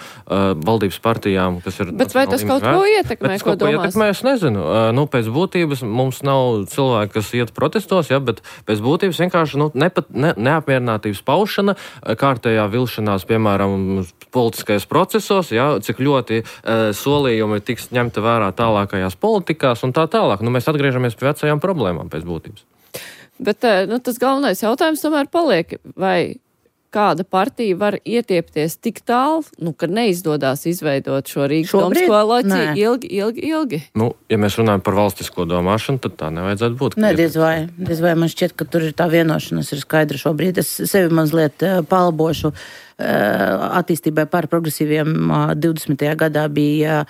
valdības partijām, kas ir... Bet vai tas kaut ko ietekmē, ko domās? Ietekmē, es nezinu. Nu, pēc būtības mums nav cilvēki, kas iet protestos, ja, bet pēc būtības vienkārši nu, nepat, ne, neapmierinātības paušana, kārtējā vilšanās, piemēram, politiskajos procesos, ja, cik ļoti uh, solījumi tiks ņemta vērā tālākajās politikās un tā tālāk. Nu, mēs atgriežamies pie vecajām problēmām pēc būtības. Bet nu, tas galvenais jautājums tomēr paliek, vai kāda partija var ietiepties tik tālu, nu, ka neizdodas izveidot šo Rīgas domas koalīciju ilgi, ilgi, ilgi? Nu, ja mēs runājam par valstisko domāšanu, tad tā nevajadzētu būt. Nē, diez vai, diez vai man šķiet, ka tur ir tā vienošanās ir skaidra šobrīd. Es sevi mazliet palbošu. Attīstībai par progresīviem divdesmitajā gadā bija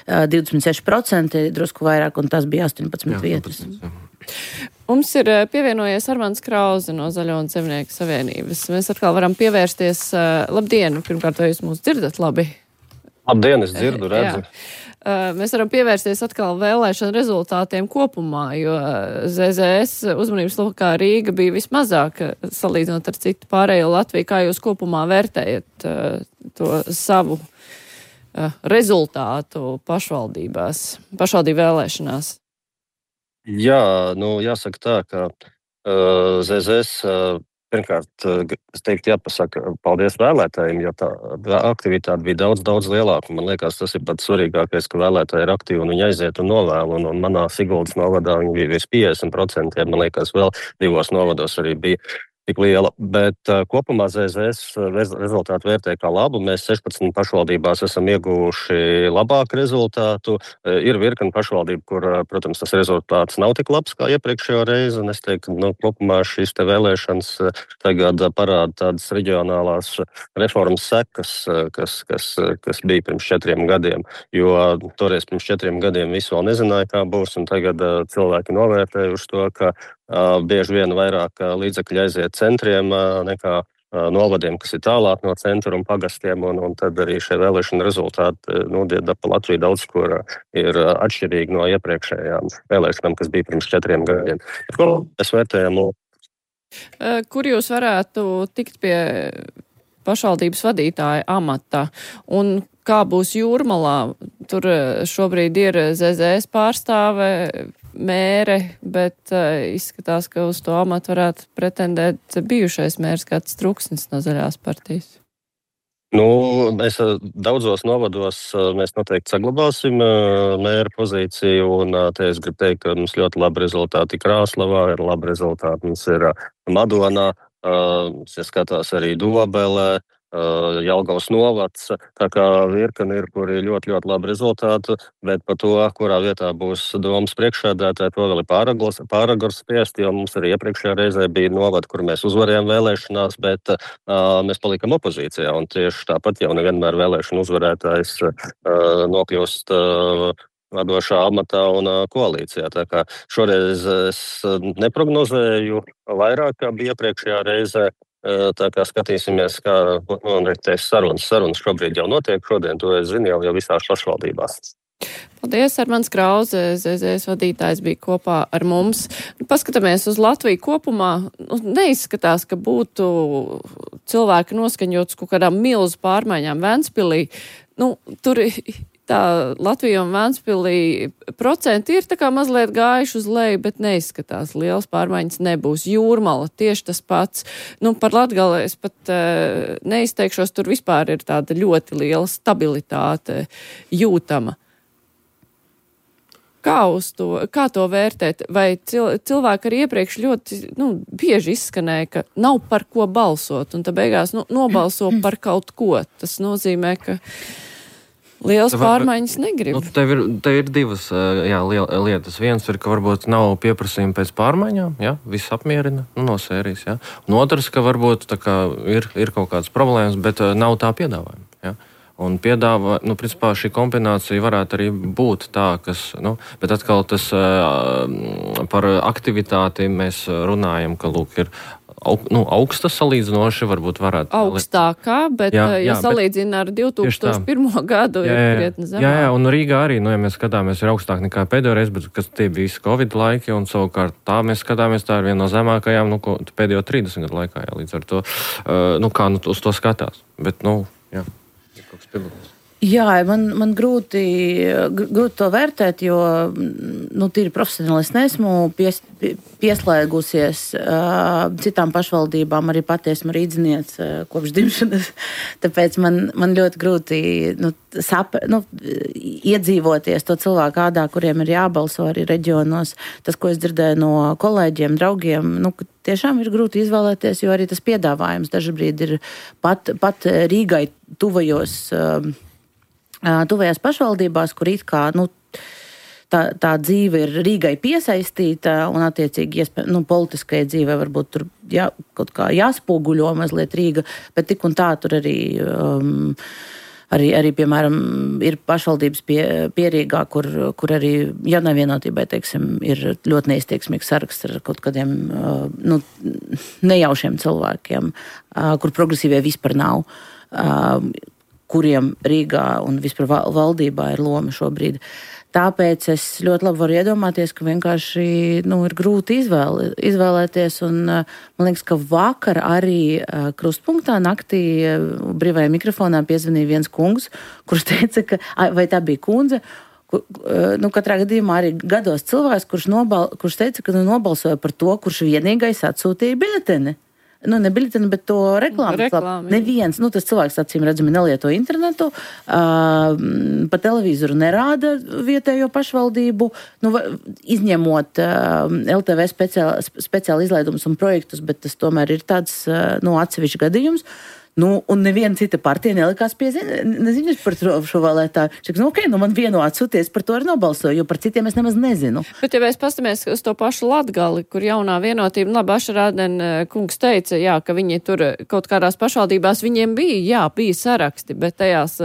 divdesmit seši procenti, drusku vairāk, un tas bija astoņpadsmit vietas. Mums ir pievienojies Armands Krauze no Zaļo un Zemnieku savienības. Mēs atkal varam pievērsties. Labdien! Pirmkārt, vai jūs mūs dzirdat labi? Labdien, es dzirdu, redzu. Jā. Mēs varam pievērsties atkal vēlēšanu rezultātiem kopumā, jo Z Z S uzmanības lokā Rīga bija vismazāk salīdzinot ar citu pārējo Latviju. Kā jūs kopumā vērtējat to savu rezultātu pašvaldībās, pašvaldību vēlēšanās? Jā, nu jāsaka tā, ka uh, Z Z S uh, pirmkārt, es teiktu, jāpasaka paldies vēlētājiem, jo tā aktivitāte bija daudz, daudz lielāka. Man liekas, tas ir pats svarīgākais, ka vēlētāji ir aktīvi un viņi aiziet un novēl. Un, un manā Siguldas novadā viņi bija virs piecdesmit procenti, man liekas, vēl divos novados arī bija tik liela. Bet uh, kopumā Z Z S rezultātu vērtē kā labu. Mēs sešpadsmit pašvaldībās esam ieguvuši labāku rezultātu. Uh, ir virkni pašvaldību, kur, uh, protams, tas rezultāts nav tik labs kā iepriekšējo reizi. Un es teiktu, nu, kopumā šīs te vēlēšanas uh, tagad uh, parāda tādas reģionālās reformas sekas, uh, kas, kas, uh, kas bija pirms četriem gadiem. Jo uh, toreiz pirms četriem gadiem visu vēl nezināja, kā būs. Un tagad uh, cilvēki novērtējuši to, ka Uh, bieži vien vairāk uh, līdzekļi aiziet centriem uh, nekā uh, novadiem, kas ir tālāk no centra un pagastiem, un, un tad arī šie vēlēšana rezultāti uh, nodieda pa Latviju daudz, kur uh, ir uh, atšķirīgi no iepriekšējām vēlēšanām, kas bija pirms četriem gadiem. Ko mēs vērtējam? Uh, kur jūs varētu tikt pie pašvaldības vadītāja amata? Un kā būs Jūrmalā? Tur šobrīd ir Z Z S pārstāve, mēre, bet uh, izskatās, ka uz to amatu varētu pretendēt bijušais mērs kāds Truksnis no Zaļās partijas. Nu, mēs daudzos novados mēs noteikti saglabāsim mēra pozīciju, un te es gribu teikt, ka mums ļoti labi rezultāti Krāslavā, ir labi rezultāti mums ir Madonā, ja skatās arī Dobelē, Jelgavas novads, tā kā virkni ir, kur ir ļoti, ļoti labi rezultāti, bet par to, kurā vietā būs domas priekšsēdētāji, to vēl ir pāragars, pāragars spriest, jo mums arī iepriekšējā reizē bija novadi, kur mēs uzvarējām vēlēšanās, bet uh, mēs palikam opozīcijā, un tieši tāpat jau nevienmēr vēlēšanu uzvarētājs uh, nokļūst uh, vadošā amatā un uh, koalīcijā. Tā kā šoreiz es neprognozēju vairāk, kā bija iepriekšējā reizē. Tā kā skatīsimies, kā nu, sarunas, sarunas šobrīd jau notiek. Šodien to es zinu jau, jau visās pašvaldībās. Paldies, Armands Krauze, Z Z S vadītājs bija kopā ar mums. Paskatāmies uz Latviju kopumā. Neizskatās, ka būtu cilvēki noskaņots kaut kādām milzu pārmaiņām Ventspilī. Nu, tur tā Latvija un Ventspilī procenti ir tā kā mazliet gājuši uz leju, bet neizskatās. Lielas pārmaiņas nebūs. Jūrmala tieši tas pats. Nu, par Latgali es pat uh, neizteikšos, tur vispār ir tāda ļoti liela stabilitāte jūtama. Kā, uz to, kā to vērtēt? Vai cil, cilvēki arī iepriekš ļoti nu, bieži izskanēja, ka nav par ko balsot, un tad beigās nu, nobalso par kaut ko. Tas nozīmē, ka lielas pārmaiņas negrib. Nu, tev ir, tev ir divas jā, lietas. Viens ir, ka varbūt nav pieprasījuma pēc pārmaiņām, jā, viss apmierina, nu, no sērijas, jā. Un otrs, ka varbūt tā kā ir, ir kaut kādas problēmas, bet nav tā piedāvājuma, jā. Un piedāvā, nu, principā šī kombinācija varētu arī būt tā, kas, nu, bet atkal tas par aktivitāti mēs runājam, ka, lūk, ir aug, nu, augsta salīdzinoši, varbūt varētu. Augstākā, bet, jā, ja jā, salīdzina ar divi tūkstoši pirmo gadu, jā, ir krietni zemāk. Jā, jā, un Rīgā arī, nu, ja mēs skatāmies, ir augstāk nekā pēdējo reizi, bet kas tie bija visi Covid laiki, un savukārt tā mēs skatāmies, tā ir viena no zemākajām, nu, ko, pēdējo trīsdesmit gadu laikā, jā, līdz ar to, uh, nu, kā nu, uz to skatās. Bet, nu, jā. Jā, man, man grūti, grūti to vērtēt, jo nu, tīri profesionāli es neesmu pies, pieslēgusies uh, citām pašvaldībām, arī pati esmu rīdziniece uh, kopš dzimšanas. Tāpēc man, man ļoti grūti nu, sap, nu, iedzīvoties to cilvēku ādā, kuriem ir jābalso arī reģionos. Tas, ko es dzirdēju no kolēģiem, draugiem, nu, tiešām ir grūti izvēlēties, jo arī tas piedāvājums dažbrīd ir pat, pat Rīgai tuvajos. Uh, Tuvajās pašvaldībās, kur it kā nu, tā, tā dzīve ir Rīgai piesaistīta un attiecīgi iespēj, nu, politiskajai dzīvē varbūt tur jā, kaut kā jāspoguļo mazliet Rīga, bet tik un tā tur arī, um, arī, arī piemēram, ir pašvaldības pie, pierīgā, kur, kur arī Jaunai teiksim, ir ļoti neizteiksmīgs saraksts ar kaut kādiem uh, nu, nejaušiem cilvēkiem, uh, kur progresīvie vispār nav. Uh, kuriem Rīgā un vispār valdībā ir loma šobrīd. Tāpēc es ļoti labi varu iedomāties, ka vienkārši nu, ir grūti izvēle, izvēlēties. Un, man liekas, ka vakar arī krustpunktā naktī brīvajā mikrofonā piezvanīja viens kungs, kurš teica, ka, vai tā bija kundze, kur, nu, katrā gadījumā arī gados cilvēks, kurš, nobal, kurš teica, ka nu, nobalsoja par to, kurš vienīgais atsūtīja biļeteni. Nu, ne biļeteni, bet to reklāmu. Reklāmi. Neviens, nu, tas cilvēks acīm redzami nelieto internetu, uh, pa televizoru nerāda vietējo pašvaldību, nu, izņemot uh, L T V speciāli, speciāli izlaidumus un projektus, bet tas tomēr ir tāds, uh, nu, atsevišķs gadījums. Nu, un neviena cita partija nelikās pie neziņas par šo vēlētāju. Šak, nu, ok, nu man vienu atsūties, par to arī nobalsoju, jo par citiem es nemaz nezinu. Bet, ja mēs pastamies uz to pašu Latgali, kur jaunā vienotība, labi, Ašarādien kungs teica, jā, ka viņi tur kaut kādās pašvaldībās viņiem bija, jā, bija saraksti, bet tajās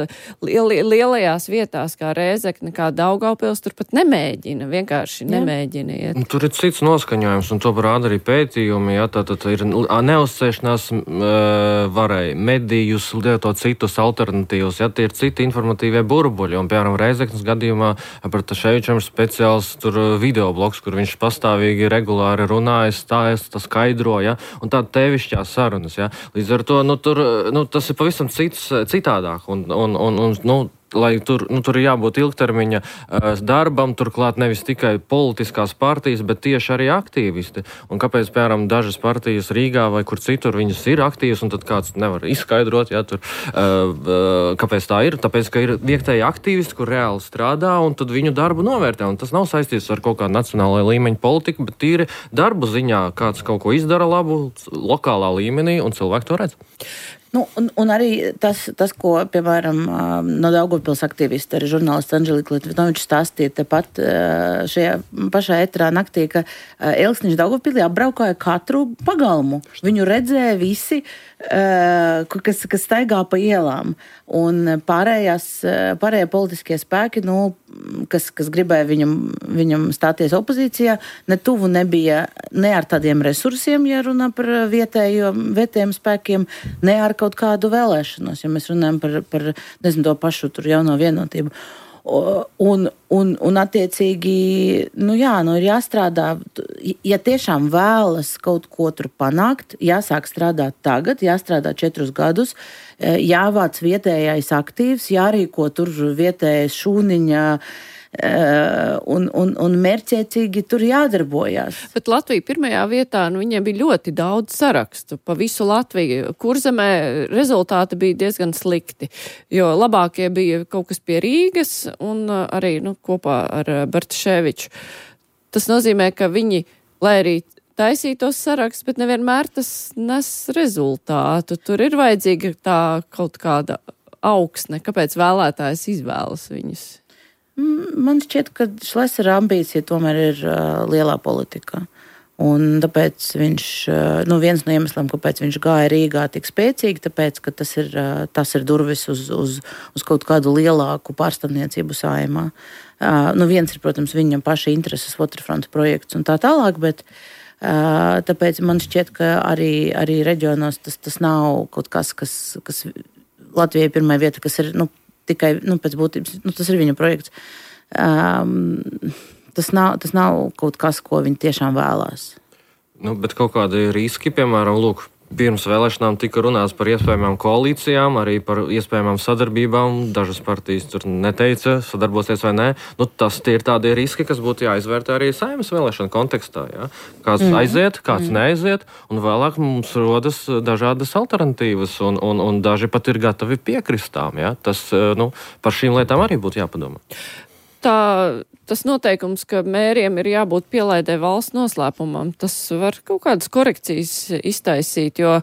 liel, lielajās vietās, kā Rēzekne, kā Daugavpils, tur pat nemēģina, vienkārši nemēģina iet. Un tur ir cits noskaņojums, un to parāda arī pētījumi, jā, tā, tā, tā ir neuzcēšanās uh, varēja. Medijus, lietot citus alternatīvus, ja tie ir citi informatīvie burbuļi, un, piemēram, Reizeknas gadījumā par Taševičam ir speciāls tur videoblogs, kur viņš pastāvīgi regulāri runāja, stāsta, skaidro, ja, un tāda tevišķās sarunas, ja. Līdz ar to, nu, tur, nu, tas ir pavisam cits, citādāk, un, un, un, un nu, lai tur, nu, tur ir jābūt ilgtermiņa uh, darbam, turklāt nevis tikai politiskās partijas, bet tieši arī aktīvisti. Un kāpēc, piemēram, dažas partijas Rīgā vai kur citur viņas ir aktīvas, un tad kāds nevar izskaidrot, ja, tur, uh, uh, kāpēc tā ir? Tāpēc, ka ir vietēji aktīvisti, kur reāli strādā, un tad viņu darbu novērtē. Un tas nav saistīts ar kaut kādu nacionālajā līmeņa politiku, bet tīri darbu ziņā kāds kaut ko izdara labu lokālā līmenī, un cilvēki to redz. Nu, un, un arī tas, tas, ko, piemēram, no Daugavpils aktīvisti, arī žurnālists Anželika Litvinovičs stāstīja tepat šajā pašā etrā naktī, ka Elksniņš Daugavpilī apbraukāja katru pagalmu. Viņu redzēja visi, kas, kas staigā pa ielām. Un pārējās, pārējie politiskie spēki, nu, kas, kas gribēja viņam, viņam stāties opozīcijā, ne tuvu nebija ne ar tādiem resursiem, ja runā par vietējo, vietējiem spēkiem, ne ar kaut kādu vēlēšanos, ja mēs runājam par, par nezinu, to pašu tur jauno vienotību. Un, un, un attiecīgi, nu jā, nu ir jāstrādā, ja tiešām vēlas kaut ko tur panākt, jāsāk strādāt tagad, jāstrādā četrus gadus, jāvāc vietējais aktīvs, jārīko tur vietējais šūniņa, un, un, un mērķiecīgi tur jādarbojās. Bet Latvija pirmajā vietā, nu, viņiem bija ļoti daudz sarakstu pa visu Latviju. Kurzemē rezultāti bija diezgan slikti, jo labākie bija kaut kas pie Rīgas un arī, nu, kopā ar Bartaševiču. Tas nozīmē, ka viņi, lai arī taisītos saraksts, bet nevienmēr tas nes rezultātu. Tur ir vajadzīga tā kaut kāda augsne, kāpēc vēlētājs izvēlas viņus. Man šķiet, ka Šlesera ambīcija tomēr ir uh, lielā politikā. Un tāpēc viņš, uh, nu viens no iemesliem, kāpēc viņš gāja Rīgā tik spēcīgi, tāpēc, ka tas ir, uh, tas ir durvis uz, uz, uz kaut kādu lielāku pārstāvniecību Saeimā. Uh, nu viens ir, protams, viņam paša intereses Waterfront projekts un tā tālāk, bet uh, tāpēc man šķiet, ka arī, arī reģionos tas, tas nav kaut kas, kas, kas Latvijai pirmā vieta, kas ir, nu, tikai, nu, pēc būtības, nu, tas ir viņa projekts. Um, tas, nav, tas nav kaut kas, ko viņi tiešām vēlās. Nu, bet kaut kādi riski, piemēram, lūk, pirms vēlēšanām tika runāts par iespējamām koalīcijām, arī par iespējamām sadarbībām. Dažas partijas tur neteica, sadarbosies vai nē. Nu, tas tie ir tādi riski, kas būtu jāizvērtē arī Saeimas vēlēšanu kontekstā. Ja? Kāds mm. aiziet, kāds mm. neaiziet, un vēlāk mums rodas dažādas alternatīvas, un, un, un daži pat ir gatavi piekristām. Ja? Tas, nu, par šīm lietām arī būtu jāpadomā. Tā, tas noteikums, ka mēriem ir jābūt pielaidē valsts noslēpumam, tas var kaut kādas korekcijas iztaisīt, jo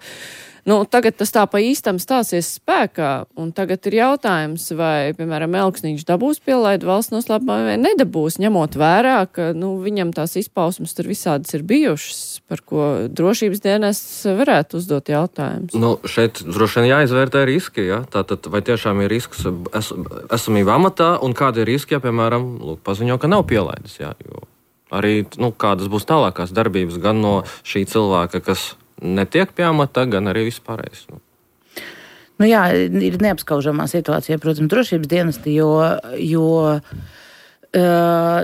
nu, tagad tas tā pa īstam stāsies spēkā, un tagad ir jautājums, vai, piemēram, Elksniņš dabūs pielaidu valsts noslēpumā vai nedabūs, ņemot vērā, ka nu, viņam tās izpausmes tur visādas ir bijušas, par ko drošības dienests varētu uzdot jautājumus. Nu, šeit droši vien jāizvērtē riski, ja? Tātad, vai tiešām ir risks es, esamība amatā, un kādi ir riski, ja, piemēram, lūk, paziņo, ka nav pielaides, ja? Jo arī, nu, kādas būs tālākās darbības gan no šī cilvēka, kas netiek pie amata, gan arī vispārējais. Nu. Nu jā, ir neapskaužamā situācija, protams, drošības dienesti, jo, jo uh,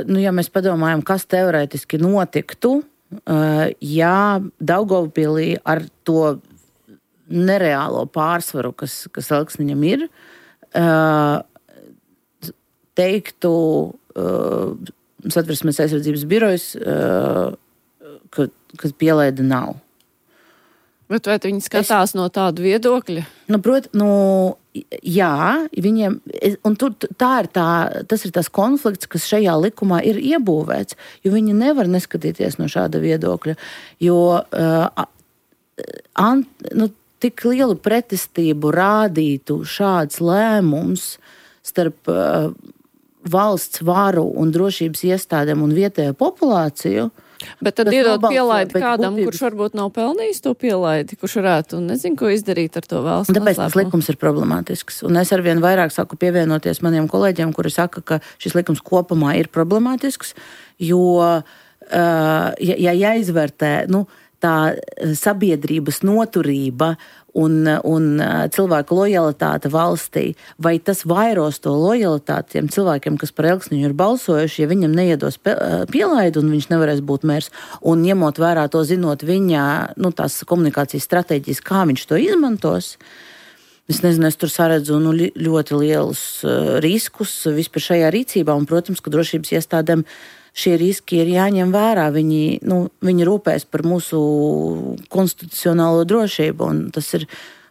nu, ja mēs padomājam, kas teorētiski notiktu, uh, ja Daugavpilī ar to nereālo pārsvaru, kas, kas Elksniņam ir, uh, teiktu uh, Satversmes aizsardzības birojas, uh, ka, ka pielaida nav. Bet vai viņi skatās es, no tādu viedokļa? Nu, prot, nu, jā, viņiem, un tur tā ir tā, tas ir tas konflikts, kas šajā likumā ir iebūvēts, jo viņi nevar neskatīties no šāda viedokļa, jo uh, an, nu, tik lielu pretestību rādītu šāds lēmums starp uh, valsts varu un drošības iestādēm un vietējo populāciju. Bet tad iedot pielaidi kādam, būtības... kurš varbūt nav pelnījis to pielaidi, kurš varētu un nezinu, ko izdarīt ar to valsts noslēpumu. Tāpēc tas likums ir problemātisks. Un es arvien vairāk saku pievienoties maniem kolēģiem, kuri saka, ka šis likums kopumā ir problemātisks, jo, uh, ja, ja jāizvērtē, nu, tā sabiedrības noturība un, un cilvēku lojalitāte valstī, vai tas vairos to lojalitāti tiem cilvēkiem, kas par Elksniņu ir balsojuši, ja viņam neiedos pielaidu un viņš nevarēs būt mērs, un ņemot vērā to, zinot viņa, nu, tās komunikācijas stratēģijas, kā viņš to izmantos, Es nezinu, es tur saredzu nu, ļoti lielus uh, riskus vispār šajā rīcībā, un, protams, ka drošības iestādēm šie riski ir jāņem vērā. Viņi, nu, viņi rūpēs par mūsu konstitucionālo drošību, un tas ir,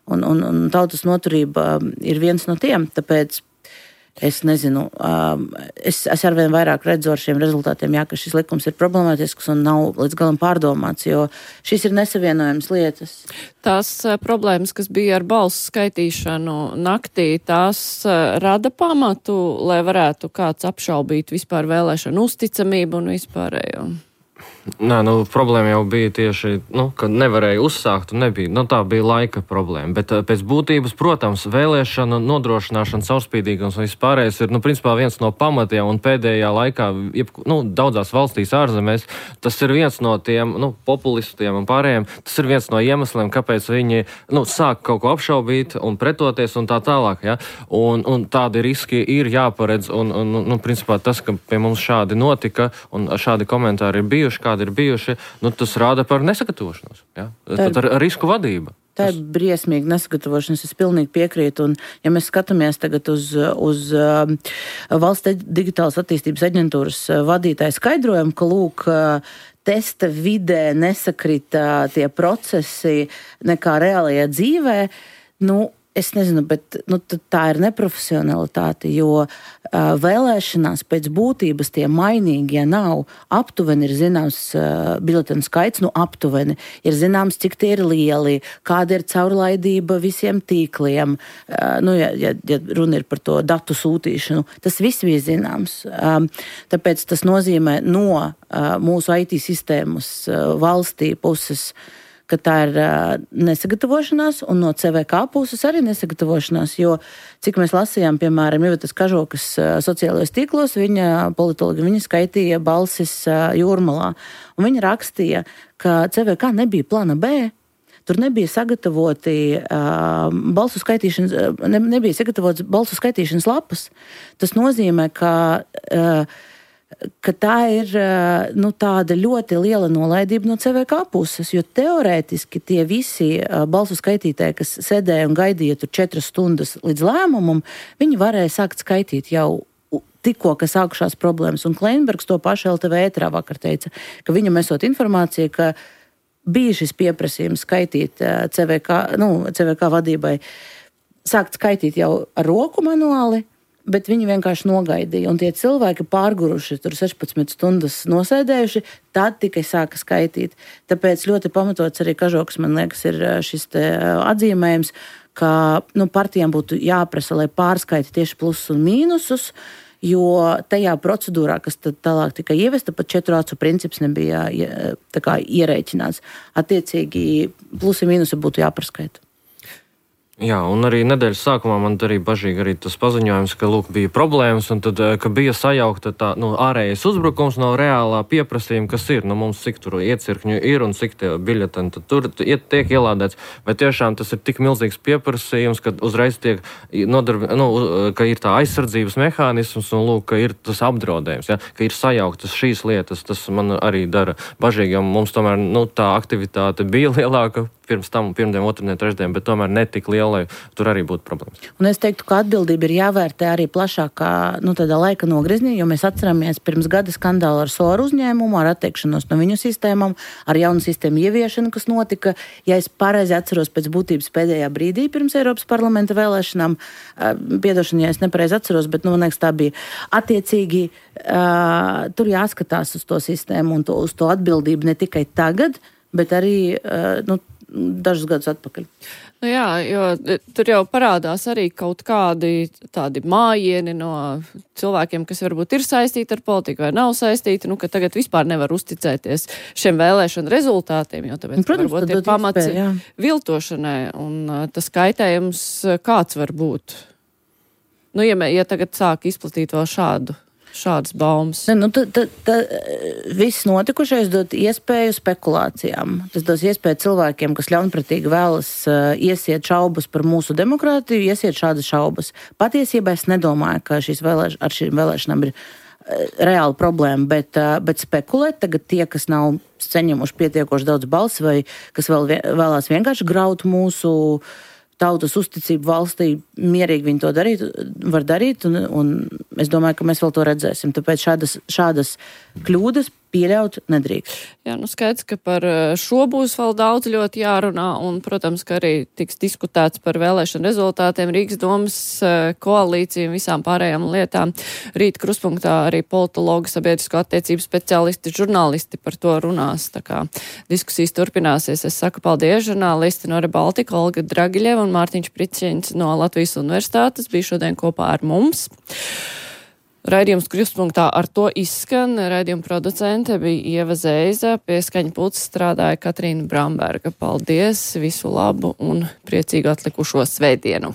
un, un, un tautas noturība ir viens no tiem, tāpēc es nezinu, es, es arvien vairāk redzu ar šiem rezultātiem, jā, ka šis likums ir problemātisks un nav līdz galam pārdomāts, jo šis ir nesavienojams lietas. Tās problēmas, kas bija ar balsu skaitīšanu naktī, tās rada pamatu, lai varētu kāds apšaubīt vispār vēlēšanu uzticamību un vispārējo? Nē, nu, problēma jau bija tieši, nu, ka nevarēja uzsākt un nebija. Nu, tā bija laika problēma. Bet pēc būtības, protams, vēlēšana nodrošināšana, caurspīdīgums un vispārējais ir, nu, principā viens no pamatiem un pēdējā laikā, jeb, nu, daudzās valstīs ārzemēs, tas ir viens no tiem, nu, populistiem un pārējiem, tas ir viens no iemesliem, kāpēc viņi, nu, sāk kaut ko apšaubīt un pretoties un tā tālāk, ja. Un, un tādi riski ir jāparedz un, un, nu, principā tas, ka pie mums šādi notika un šādi komentāri ir bijuši, kādi ir bijuši, nu, tas rāda par nesagatavošanos. Ja? Tad ar risku vadība. Tā ir briesmīga nesagatavošanās, es pilnīgi piekrītu. Un, ja mēs skatāmies tagad uz, uz uh, Valsts digitālas attīstības aģentūras vadītāju skaidrojumu, ka, lūk, testa vidē nesakrita tie procesi nekā reālajā dzīvē, nu, es nezinu, bet nu, tā ir neprofesionalitāte, jo uh, vēlēšanās pēc būtības tie mainīgi, ja nav, aptuveni ir zināms uh, biļetenu skaits, nu aptuveni ir zināms, cik tie ir lieli, kāda ir caurlaidība visiem tīkliem, uh, nu, ja, ja, ja runa ir par to datu sūtīšanu, tas viss bija zināms. Um, tāpēc tas nozīmē no uh, mūsu I T sistēmas uh, valstī puses, ka tā ir uh, nesagatavošanās, un no C V K puses arī nesagatavošanās, jo, cik mēs lasījām, piemēram, Ivetas Kažokas uh, sociālajos tīklos, viņa politologi, viņa skaitīja balsis uh, Jūrmalā, un viņa rakstīja, ka C V K nebija plana B, tur nebija sagatavoti uh, balsu skaitīšanas, uh, ne, nebija sagatavots balsu skaitīšanas lapas. Tas nozīmē, ka uh, ka tā ir nu, tāda ļoti liela nolaidība no C V K puses, jo teorētiski tie visi balsu skaitītāji, kas sēdēja un gaidīja tur četras stundas līdz lēmumam, viņi varēja sākt skaitīt jau tikko, ka sākušās problēmas. Un Kleinbergs to pašu L T V ētrā vakar teica, ka viņam esot informācija, ka bija šis pieprasījums skaitīt C V K, nu, C V K vadībai, sākt skaitīt jau ar roku manuāli, bet viņi vienkārši nogaidīja. Un tie cilvēki pārguruši, tur sešpadsmit stundas nosēdējuši, tad tikai sāka skaitīt. Tāpēc ļoti pamatots arī Kažoks, man liekas, ir šis te atzīmējums, ka nu, partijām būtu jāprasa, lai pārskaita tieši plusus un mīnusus, jo tajā procedūrā, kas tad tālāk tika ievesta, pat četru acu princips nebija tā kā ierēķināts. Attiecīgi plusi un mīnusi būtu jāpārskaita. Jā, un arī nedēļas sākumā man arī bažīgi arī tas paziņojums, ka, lūk, bija problēmas, un tad, ka bija sajaukta tā, nu, ārējais uzbrukums no reālā pieprasījuma, kas ir, nu, mums cik tur iecirkņu ir un cik tie biļeteni tur iet, tiek ielādēts, vai tiešām tas ir tik milzīgs pieprasījums, ka uzreiz tiek nodarbi, nu, ka ir tā aizsardzības mehānisms, un, lūk, ka ir tas apdraudējums, ja, ka ir sajauktas šīs lietas, tas man arī dara bažīgi, jo mums tomēr, nu, tā aktivitāte bija lielāka pirms tam, pirmdien, otrdien, trešdien, bet tomēr netik liela, lai tur arī būtu problēmas. Un es teiktu, ka atbildība ir jāvērtē arī plašākā, nu, tādā laika nogriznī, jo mēs atceramies pirms gada skandālu ar Soru uzņēmumu, ar atteikšanos no viņu sistēmām, ar jaunu sistēmu ieviešanu, kas notika, ja es pareizi atceros pēc būtības pēdējā brīdī pirms Eiropas parlamenta vēlēšanām, piedošana, ja es nepareizi atceros, bet, nu, man liekas, tā bija attiecīgi, uh, tur jāskatās uz to sistēmu un to, uz to atbildību ne tikai tagad, bet arī, uh, nu, dažus gadus atpakaļ. Nu jā, jo tur jau parādās arī kaut kādi tādi mājieni no cilvēkiem, kas varbūt ir saistīti ar politiku vai nav saistīti, nu, ka tagad vispār nevar uzticēties šiem vēlēšanu rezultātiem, jo tāpēc, Protams, varbūt ir pamats iespēja, viltošanai, un tas kaitējums kāds var būt. Nu, ja, ja tagad sāk izplatīt vēl šādu šādas baumas. Ne, nu, tad, tad, tad, viss notikušais dod iespēju spekulācijām. Tas dos iespēju cilvēkiem, kas ļaunprātīgi vēlas uh, iesiet šaubas par mūsu demokrātiju, iesiet šādas šaubas. Patiesībā es nedomāju, ka šīs vēlēš, ar šīm vēlēšanām ir uh, reāla problēma, bet, uh, bet spekulēt tagad tie, kas nav saņemuši pietiekoši daudz balsi vai kas vēl, vēlās vienkārši graut mūsu tautas uzticību valstī, mierīgi viņi to darīt, var darīt, un, un es domāju, ka mēs vēl to redzēsim. Tāpēc šādas, šādas kļūdas pieļaut nedrīkst. Jā, nu skaidrs, ka par šo būs vēl daudz ļoti jārunā, un, protams, ka arī tiks diskutēts par vēlēšanu rezultātiem, Rīgas domas koalīciju un visām pārējām lietām. Rīt Kruspunktā arī politologi, sabiedrisko attiecību speciālisti, žurnālisti par to runās. Tā kā diskusijas turpināsies. Es saku paldies, žurnālisti no Rebaltika, Olga Dragiļeva un Mārtiņš Priciņš no Latvijas Universitātes bija šodien kopā ar mums. Raidījums Kruspunktā ar to izskan. Raidījuma producente bija Ieva Zēza, pie skaņa pults strādāja Katrīna Bramberga. Paldies, visu labu un priecīgu atlikušo svētdienu!